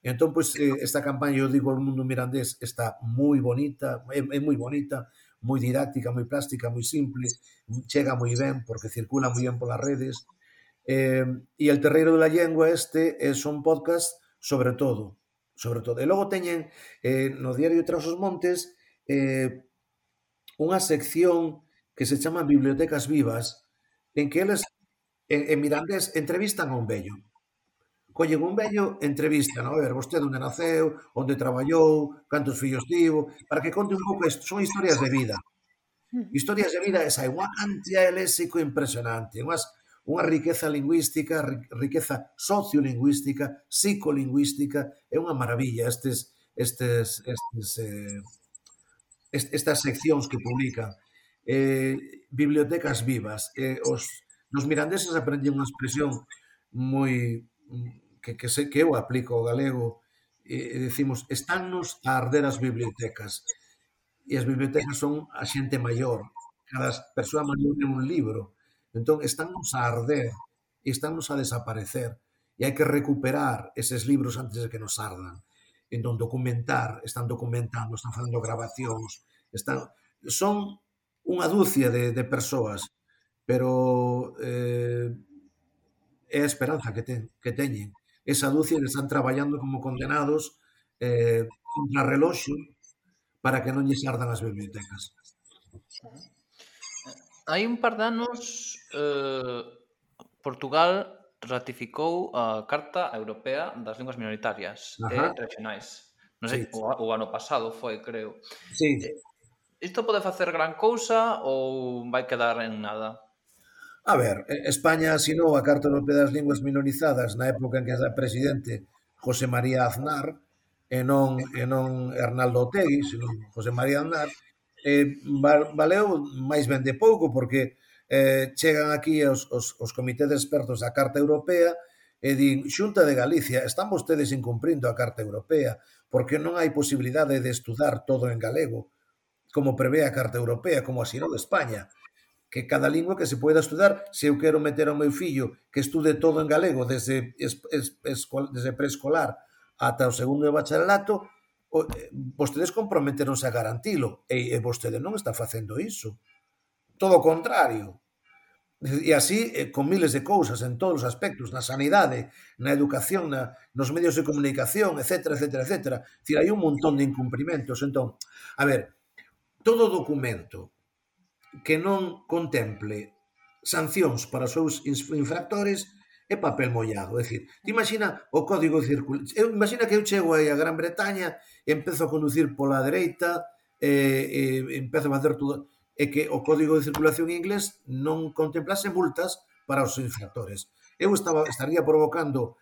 Entón, pois, esta campaña, eu digo, o mundo mirandés está moi bonita, é moi bonita, moi didáctica, moi plástica, moi simple, chega moi ben, porque circula moi ben polas redes. E El Terreiro de la Lengua son podcast sobre todo. E logo teñen no diario Tras os Montes unha sección que se chama Bibliotecas Vivas, en que eles, en mirandés, entrevistan a un vello. Collen un vello, entrevistan, a ver, vostede onde naceu, onde traballou, cantos fillos tivo, para que conte un pouco isto. Son historias de vida. Historias de vida, esa é unha cantidad de léxico impresionante, unha riqueza lingüística, riqueza sociolingüística, psicolingüística, é unha maravilla estas seccións que publican. Bibliotecas vivas. Nos mirandeses aprendí unha expresión moi que eu aplico ao galego, e decimos, estánnos a arder as bibliotecas. E as bibliotecas son a xente maior. Cada persoa maior é un libro. Entón, estánnos a arder e estánnos a desaparecer. E hai que recuperar eses libros antes de que nos ardan. Entón, están documentando, están facendo grabacións, son unha dúcia de persoas, pero é a esperanza que teñen. Esa dúcia que están traballando como condenados contra reloxo para que non lles ardan as bibliotecas. Hai un par de anos Portugal ratificou a Carta Europea das Linguas Minoritarias e Regionais. Non sei, o ano pasado foi, creo. Sí. Isto pode facer gran cousa ou vai quedar en nada? A ver, España asinou a Carta Europea das Linguas Minorizadas na época en que era presidente José María Aznar e non Arnaldo Otegi, senón José María Aznar. Valeu máis ben de pouco porque chegan aquí os comités de expertos da Carta Europea e din, Xunta de Galicia, están vostedes incumprindo a Carta Europea porque non hai posibilidade de estudar todo en galego, como prevé a Carta Europea, como asinou España, que cada lingua que se poida estudar, se eu quero meter ao meu fillo que estude todo en galego desde preescolar ata o segundo de bacharelato, vostedes comprometeronse a garantilo, e vostede non está facendo iso. Todo o contrario. E así, con miles de cousas, en todos os aspectos, na sanidade, na educación, nos medios de comunicación, etcétera, etcétera, etcétera. É dicir, hai un montón de incumprimentos. Entón, a ver, todo documento que non contemple sancións para os seus infractores é papel mollado. É dicir, ti imagina o código circulación. Imagina que eu chego aí a Gran Bretaña e empezo a conducir pola dereita e empezo a facer todo... É que o código de circulación inglés non contemplase multas para os infractores. Eu estaría provocando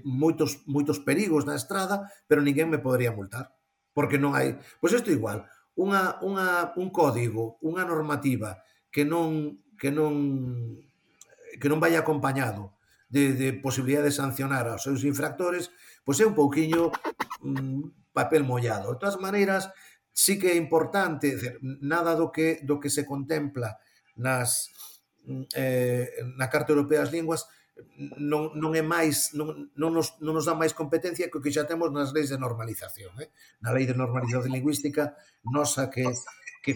moitos perigos na estrada, pero ninguén me podería multar. Porque non hai... Pois isto igual. Un código, unha normativa que non vai acompañado de posibilidade de sancionar aos seus infractores, pois é un pouquiño papel mollado. De todas maneiras, sí que é importante, nada do que se contempla na Carta Europea das Linguas non é máis, non nos dá máis competencia que o que xa temos nas leis de normalización. Na lei de normalización lingüística, nosa que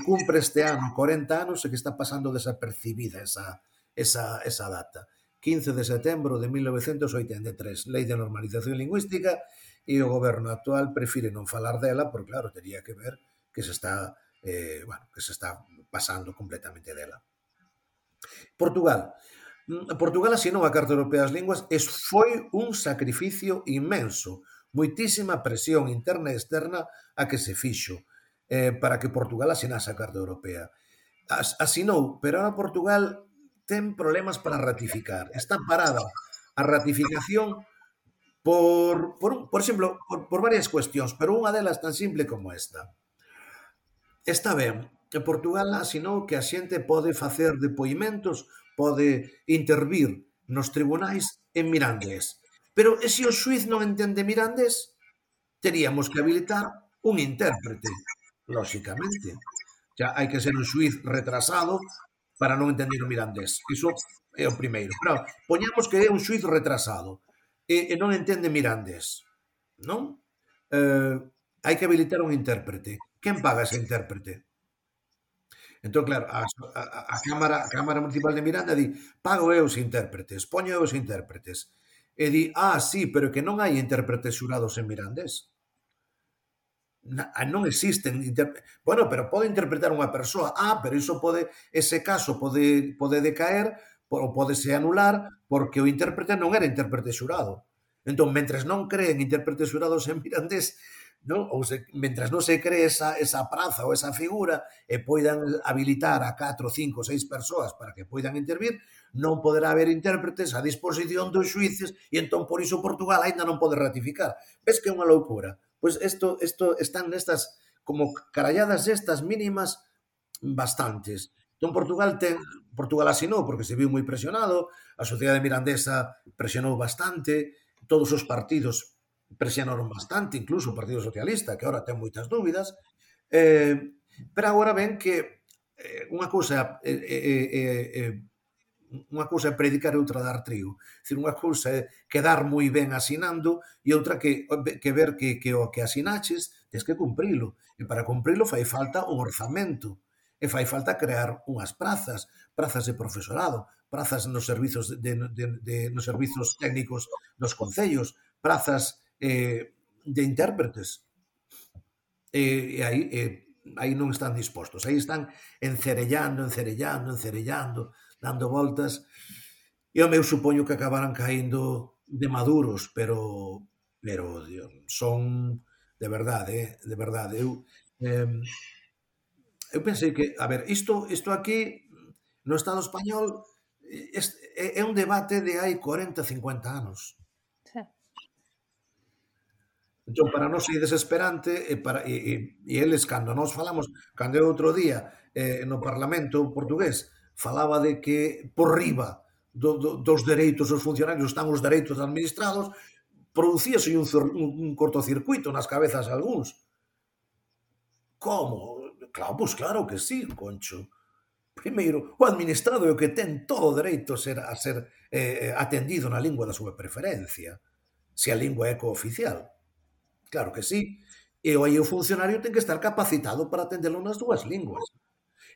cumpre este ano 40 anos e que está pasando desapercibida esa data. 15 de setembro de 1983, lei de normalización lingüística, e o goberno actual prefire non falar dela, porque claro, teria que ver que se está pasando completamente dela. Portugal asinou a Carta Europea das Linguas e foi un sacrificio inmenso, moitísima presión interna e externa a que se fixo para que Portugal asinase a Carta Europea. Asinou, pero ahora Portugal ten problemas para ratificar. Está parada a ratificación por exemplo, por varias cuestións, pero unha delas tan simple como esta. Está ben, que Portugal asinou que a xente pode facer depoimentos, pode intervir nos tribunais en mirandés. Pero e se o xuiz non entende mirandés, teríamos que habilitar un intérprete, lóxicamente. Xa hai que ser un xuiz retrasado para non entender o mirandés. Iso é o primeiro. Pero poñamos que é un xuiz retrasado e non entende mirandés, non? Hai que habilitar un intérprete. Quen paga ese intérprete? Entón, claro, a Cámara Municipal de Miranda di, pago eu os intérpretes, poño eu os intérpretes. E di, sí, pero que non hai intérpretes xurados en mirandés. Non existen bueno, pero pode interpretar unha persoa. Pero iso ese caso pode decaer ou podese anular porque o intérprete non era intérprete xurado. Entón, mentres non creen intérpretes xurados en mirandés, mentres non se cree esa praza ou esa figura e poidan habilitar a 4, 5, 6 persoas para que poidan intervir, non poderá haber intérpretes a disposición dos xuíces e entón por iso Portugal aínda non pode ratificar. Ves que é unha loucura? Pois isto están nestas como caralladas estas mínimas bastantes. Entón Portugal asinou porque se viu moi presionado, a sociedade mirandesa presionou bastante, todos os partidos presionaron bastante, incluso o Partido Socialista, que agora ten moitas dúbidas, pero agora ven que unha cousa é predicar e outra dar trigo. Unha cousa é quedar moi ben asinando e outra que ver que o que asinaches tens que cumprilo. E para cumprilo fai falta un orzamento. E fai falta crear unhas prazas de profesorado, prazas nos servizos nos servizos técnicos dos concellos, prazas de intérpretes. E aí non están dispostos. Aí están encerellando, dando voltas. E eu supoño que acabarán caíndo de maduros, pero son de verdade, eu pensei que, a ver, isto aquí no Estado español é un debate de hai 40, 50 anos. Entón, para nós é desesperante e eles, cando nós falamos, cando eu outro día no Parlamento portugués falaba de que por riba dos dereitos dos funcionarios están os dereitos administrados, producíase un cortocircuito nas cabezas de algúns. Como? Claro, pois claro que sí, Concho. Primeiro, o administrado é o que ten todo o dereito a ser atendido na lingua da súa preferencia, se a lingua é cooficial. Claro que sí. E aí o funcionario ten que estar capacitado para atendelo nas dúas linguas.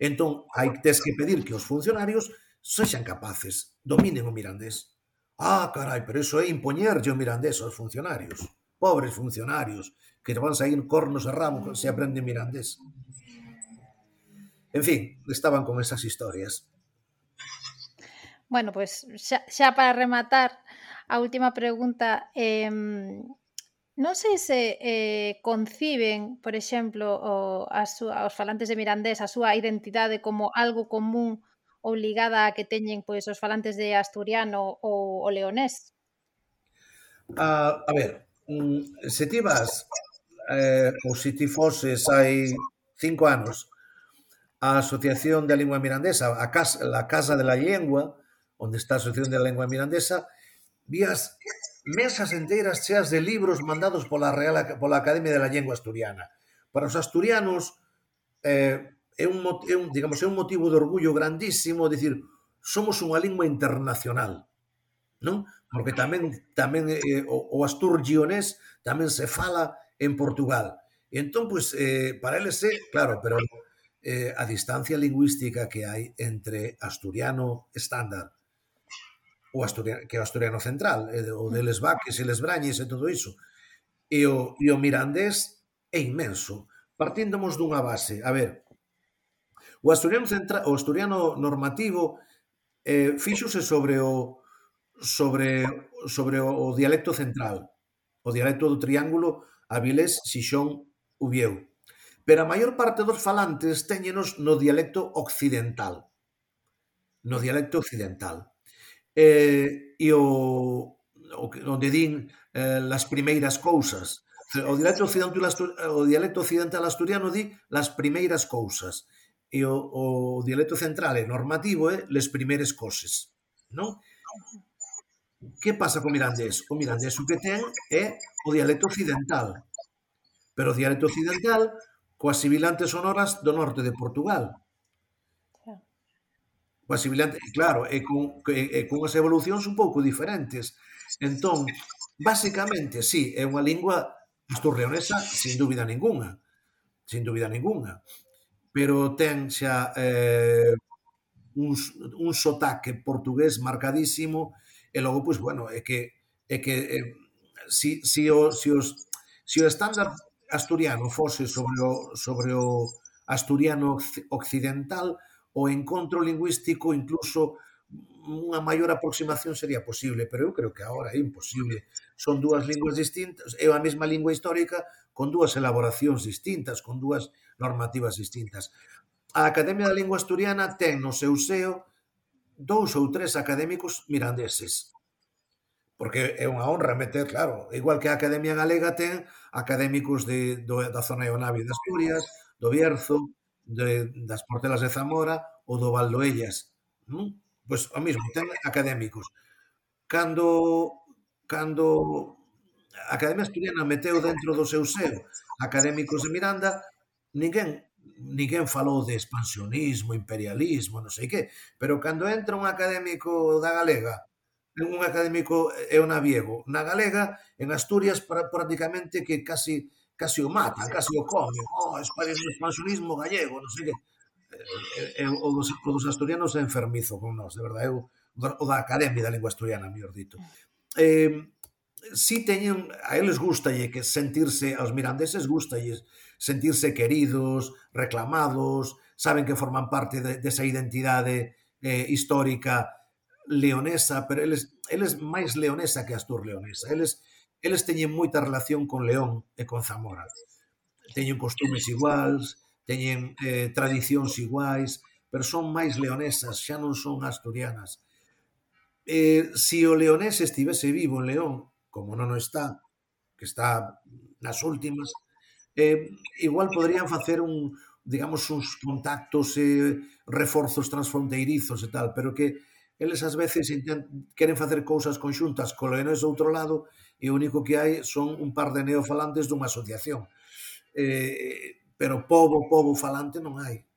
Entón, tes que pedir que os funcionarios sexan capaces, dominen o mirandés. Carai, pero iso é impoñerlle o mirandés aos funcionarios. Pobres funcionarios, que van sair cornos e ramos se aprenden mirandés. En fin, estaban con esas historias. Bueno, pois xa para rematar, a última pregunta, non sei se conciben, por exemplo, os falantes de mirandés a súa identidade como algo común ou ligada a que teñen pois os falantes de asturiano ou o leonés. A ver, se ti vas, ou se ti foses hai 5 anos a Asociación da Lingua Mirandesa, a Casa de la Lengua, onde está a Asociación da Lengua Mirandesa, vías mesas enteiras cheas de libros mandados pola Academia de la Lengua Asturiana. Para os asturianos é un motivo de orgullo grandísimo, dicir, somos unha lingua internacional, non? Porque tamén o asturgionés tamén se fala en Portugal. E entón, pois, para eles claro, pero a distancia lingüística que hai entre asturiano estándar o asturiano, que é o asturiano central, o deles vaques e les brañes e todo iso, e o mirandés é inmenso. Partíndamos dunha base, a ver, o asturiano normativo fíxose sobre o dialecto central, o dialecto do triángulo Avilés, Xixón, Ubieu. Pero a maior parte dos falantes téñenos no dialecto occidental. No dialecto occidental. E onde din las primeiras cousas. O dialecto occidental asturiano di las primeiras cousas. E o dialecto central e normativo é les primeres coses. Non? Que pasa co mirandés? O mirandés o que ten é o dialecto occidental. Pero o dialecto occidental coas sibilantes sonoras do norte de Portugal. Coas sibilantes, claro, e cunhas evolucións un pouco diferentes. Entón, basicamente, sí, é unha lingua asturleonesa sin dúbida ninguna. Sin dúbida ninguna. Pero ten xa un sotaque portugués marcadísimo e logo, pois, bueno, é que si o estándar asturiano fose sobre o asturiano occidental, o encontro lingüístico, incluso unha maior aproximación sería posible, pero eu creo que agora é imposible. Son dúas linguas distintas, é a mesma lingua histórica con dúas elaboracións distintas, con dúas normativas distintas. A Academia da Lingua Asturiana ten no seu seo 2 ou 3 académicos mirandeses. Porque é unha honra meter, claro, igual que a Academia Galega ten académicos da zona de Navia de Asturias, do Bierzo, das Portelas de Zamora ou do Valdoellas. Pois o mesmo, ten académicos. Cando a Academia Asturiana meteu dentro do seu seo académicos de Miranda, ninguén falou de expansionismo, imperialismo, non sei que, pero cando entra un académico da Galega, un académico é o naviego, na Galega, en Asturias, prácticamente que casi o matan, casi o comen. Expansionismo gallego, non sei que. O dos asturianos é enfermizo con nós, de verdade, o da Academia da Lingua Asturiana, mellor dito. Si teñen, a eles gustalle que sentirse, aos mirandeses gustalle sentirse queridos, reclamados, saben que forman parte desa identidade histórica leonesa, pero eles máis leonesa que asturleonesa. Eles teñen moita relación con León e con Zamora. Teñen costumes iguais, teñen tradicións iguais, pero son máis leonesas, xa non son asturianas. Se o leonés estivese vivo en León, como non o está, que está nas últimas, igual poderían facer uns contactos e reforzos transfronteirizos e tal, pero que eles ás veces queren facer cousas conxuntas co leonés do outro lado e o único que hai son un par de neofalantes dunha asociación. Pero pobo falante non hai.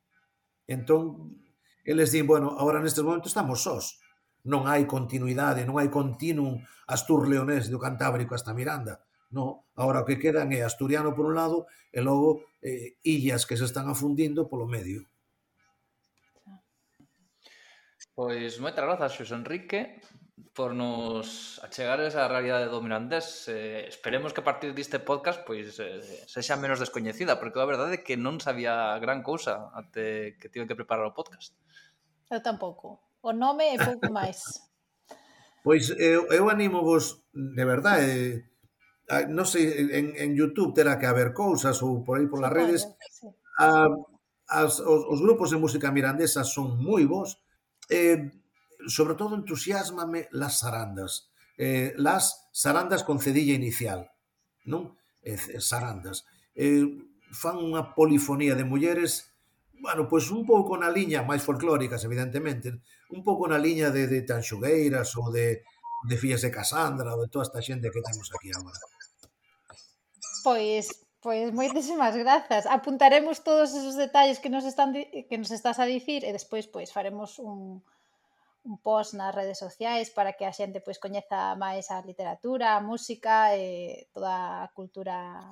Entón, eles din, bueno, agora nestes momentos estamos sós. Non hai continuidade, non hai continuum astur-leonés do Cantábrico hasta Miranda. Non, agora o que quedan é asturiano por un lado e logo illas que se están afundindo polo medio. Pois moitas grazas, Xosé Enrique, por nos achegares á realidade do mirandés. Esperemos que a partir deste podcast pois sexa menos descoñecida, porque a verdade é que non sabía gran cousa até que tive que preparar o podcast. Eu tampouco. O nome e pouco máis. Pois eu animo vos, de verdade, non sei, en YouTube terá que haber cousas ou por aí polas redes. Os grupos de música mirandesa son moi bons. Sobre todo entusiasmame las sarandas. Las sarandas con cedilla inicial, non? Sarandas. Fan unha polifonía de mulleres, bueno, pois un pouco na liña, máis folclóricas, evidentemente, un pouco na liña de Tanxugueiras ou de Fillas de Casandra ou de toda esta xente que temos aquí agora. Pois moitísimas grazas. Apuntaremos todos esos detalles que nos estás a dicir e despois pois faremos un post nas redes sociais para que a xente pois coñeza máis a literatura, a música e toda a cultura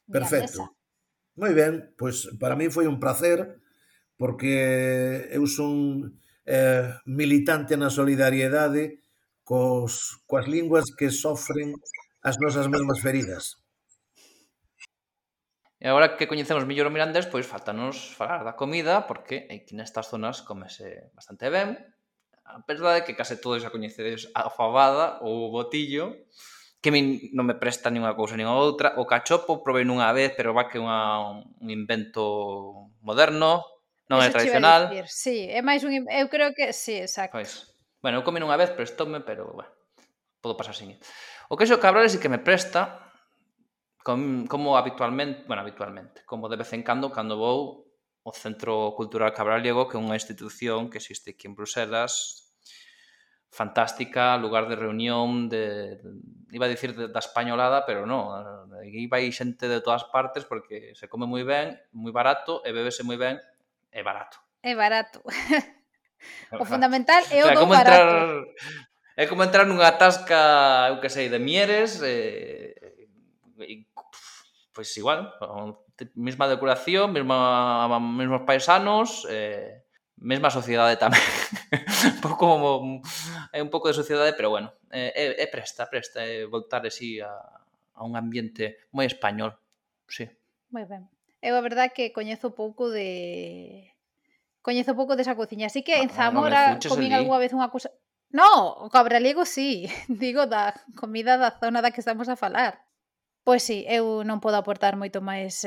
mirandesa. Perfecto. Moi ben, pois para mí foi un placer porque eu son militante na solidariedade coas linguas que sofren as nosas mesmas feridas. E agora que coñecemos mellor o mirandés, pois faltanos falar da comida, porque aquí nestas zonas comese bastante ben. A verdade é que case todos xa coñecedes a fabada ou o botillo, que a min non me presta nin unha cousa nin a outra. O cachopo provei nunha vez, pero va que un invento moderno, non é tradicional. Sí, é máis eu creo que sí, exacto. Pois, bueno, eu comi nunha vez, prestoume, pero bueno, podo pasar sin ir. O queixo cabral sí que me presta, como habitualmente, como de vez en cando vou ao Centro Cultural Cabraliego, que é unha institución que existe aquí en Bruselas, fantástica, lugar de reunión iba a dicir da españolada, pero non, aquí vai xente de todas partes porque se come moi ben, moi barato, e bébese moi ben, e barato. É barato. O fundamental é o do barato. É como entrar nunha tasca, eu que sei, de Mieres, pois igual, mesma decoración, mesmos paisanos, mesma sociedade tamén. É un pouco de sociedade, pero bueno, presta voltar así a un ambiente moi español, sí. Moi ben. Eu a verdade que coñezo pouco desa cociña, así que en Zamora comín algunha vez unha cousa... No, o cabraliego sí, digo da comida da zona da que estamos a falar. Pois sí, eu non podo aportar moito máis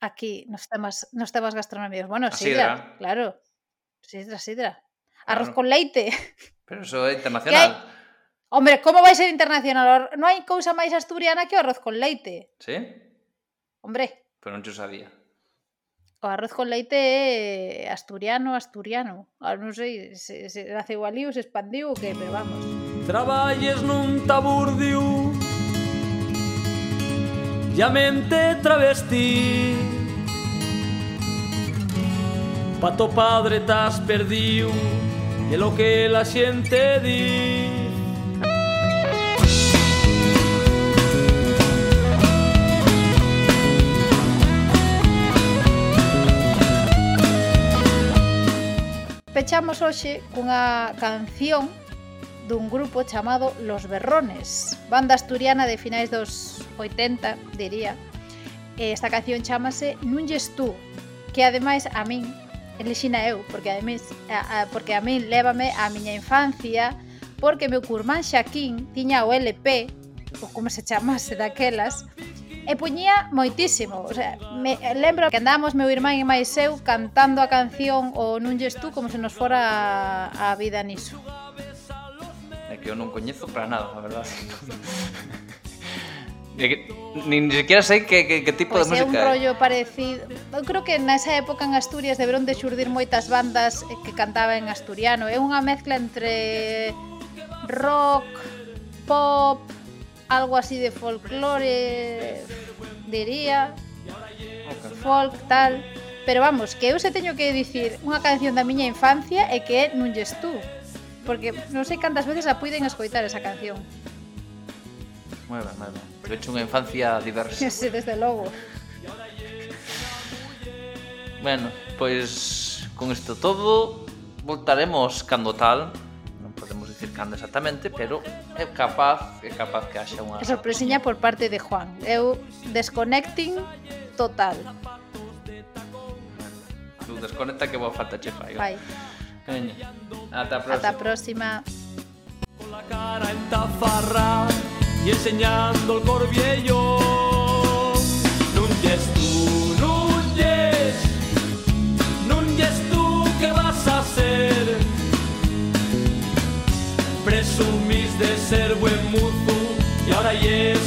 aquí nos temas gastronómicos. Bueno, sidra, claro. Sidra. Arroz con leite. Pero eso é internacional. Hombre, como vai ser internacional? Non hai cousa máis asturiana que o arroz con leite. Sí? Hombre. Pero non xo sabía. O arroz con leite é asturiano. Non sei se naceu ali ou se expandiu ou que, pero vamos. Traballes nun taburdiu ya mente travesti, pa to padre t'has perdiu e lo que la xente di. Pechamos hoxe cunha canción dun grupo chamado Los Berrones, banda asturiana de finais dos 80, diría. Esta canción chámase Nun lles tú, que ademais a min elixina eu, porque a min lévame á miña infancia, porque meu curmán Xaquín tiña o LP, ou como se chamase daquelas, e poñía moitísimo. O sea, lembro que andábamos meu irmán e máis eu cantando a canción o Nun lles tú como se nos fora a vida niso. É que eu non coñezo para nada, a verdade. Nin sequera sei que tipo de música é. Pois é un rollo parecido. Eu creo que nesa época en Asturias deberon de xurdir moitas bandas que cantaban en asturiano. É unha mezcla entre rock, pop, algo así de folclore, diría, folk, tal. Pero vamos, que eu se teño que dicir unha canción da miña infancia e que é Nun lles tú, porque non sei cantas veces a puiden escoitar esa canción. Moi ben. Pero hecho unha infancia diversa. Sí, desde logo. Bueno, pois con isto todo voltaremos cando tal. Non podemos dicir cando exactamente, pero é capaz que haxa unha sorpresiña por parte de Juan. Eu desconnecting total. Tú desconecta que boa falta che fai. Veña, ata a próxima. Ata a próxima. Con la cara en tafarra y enseñando el corbiello. Nun yes tú, ¿qué vas a hacer? Presumís de ser buen muzu y ahora yes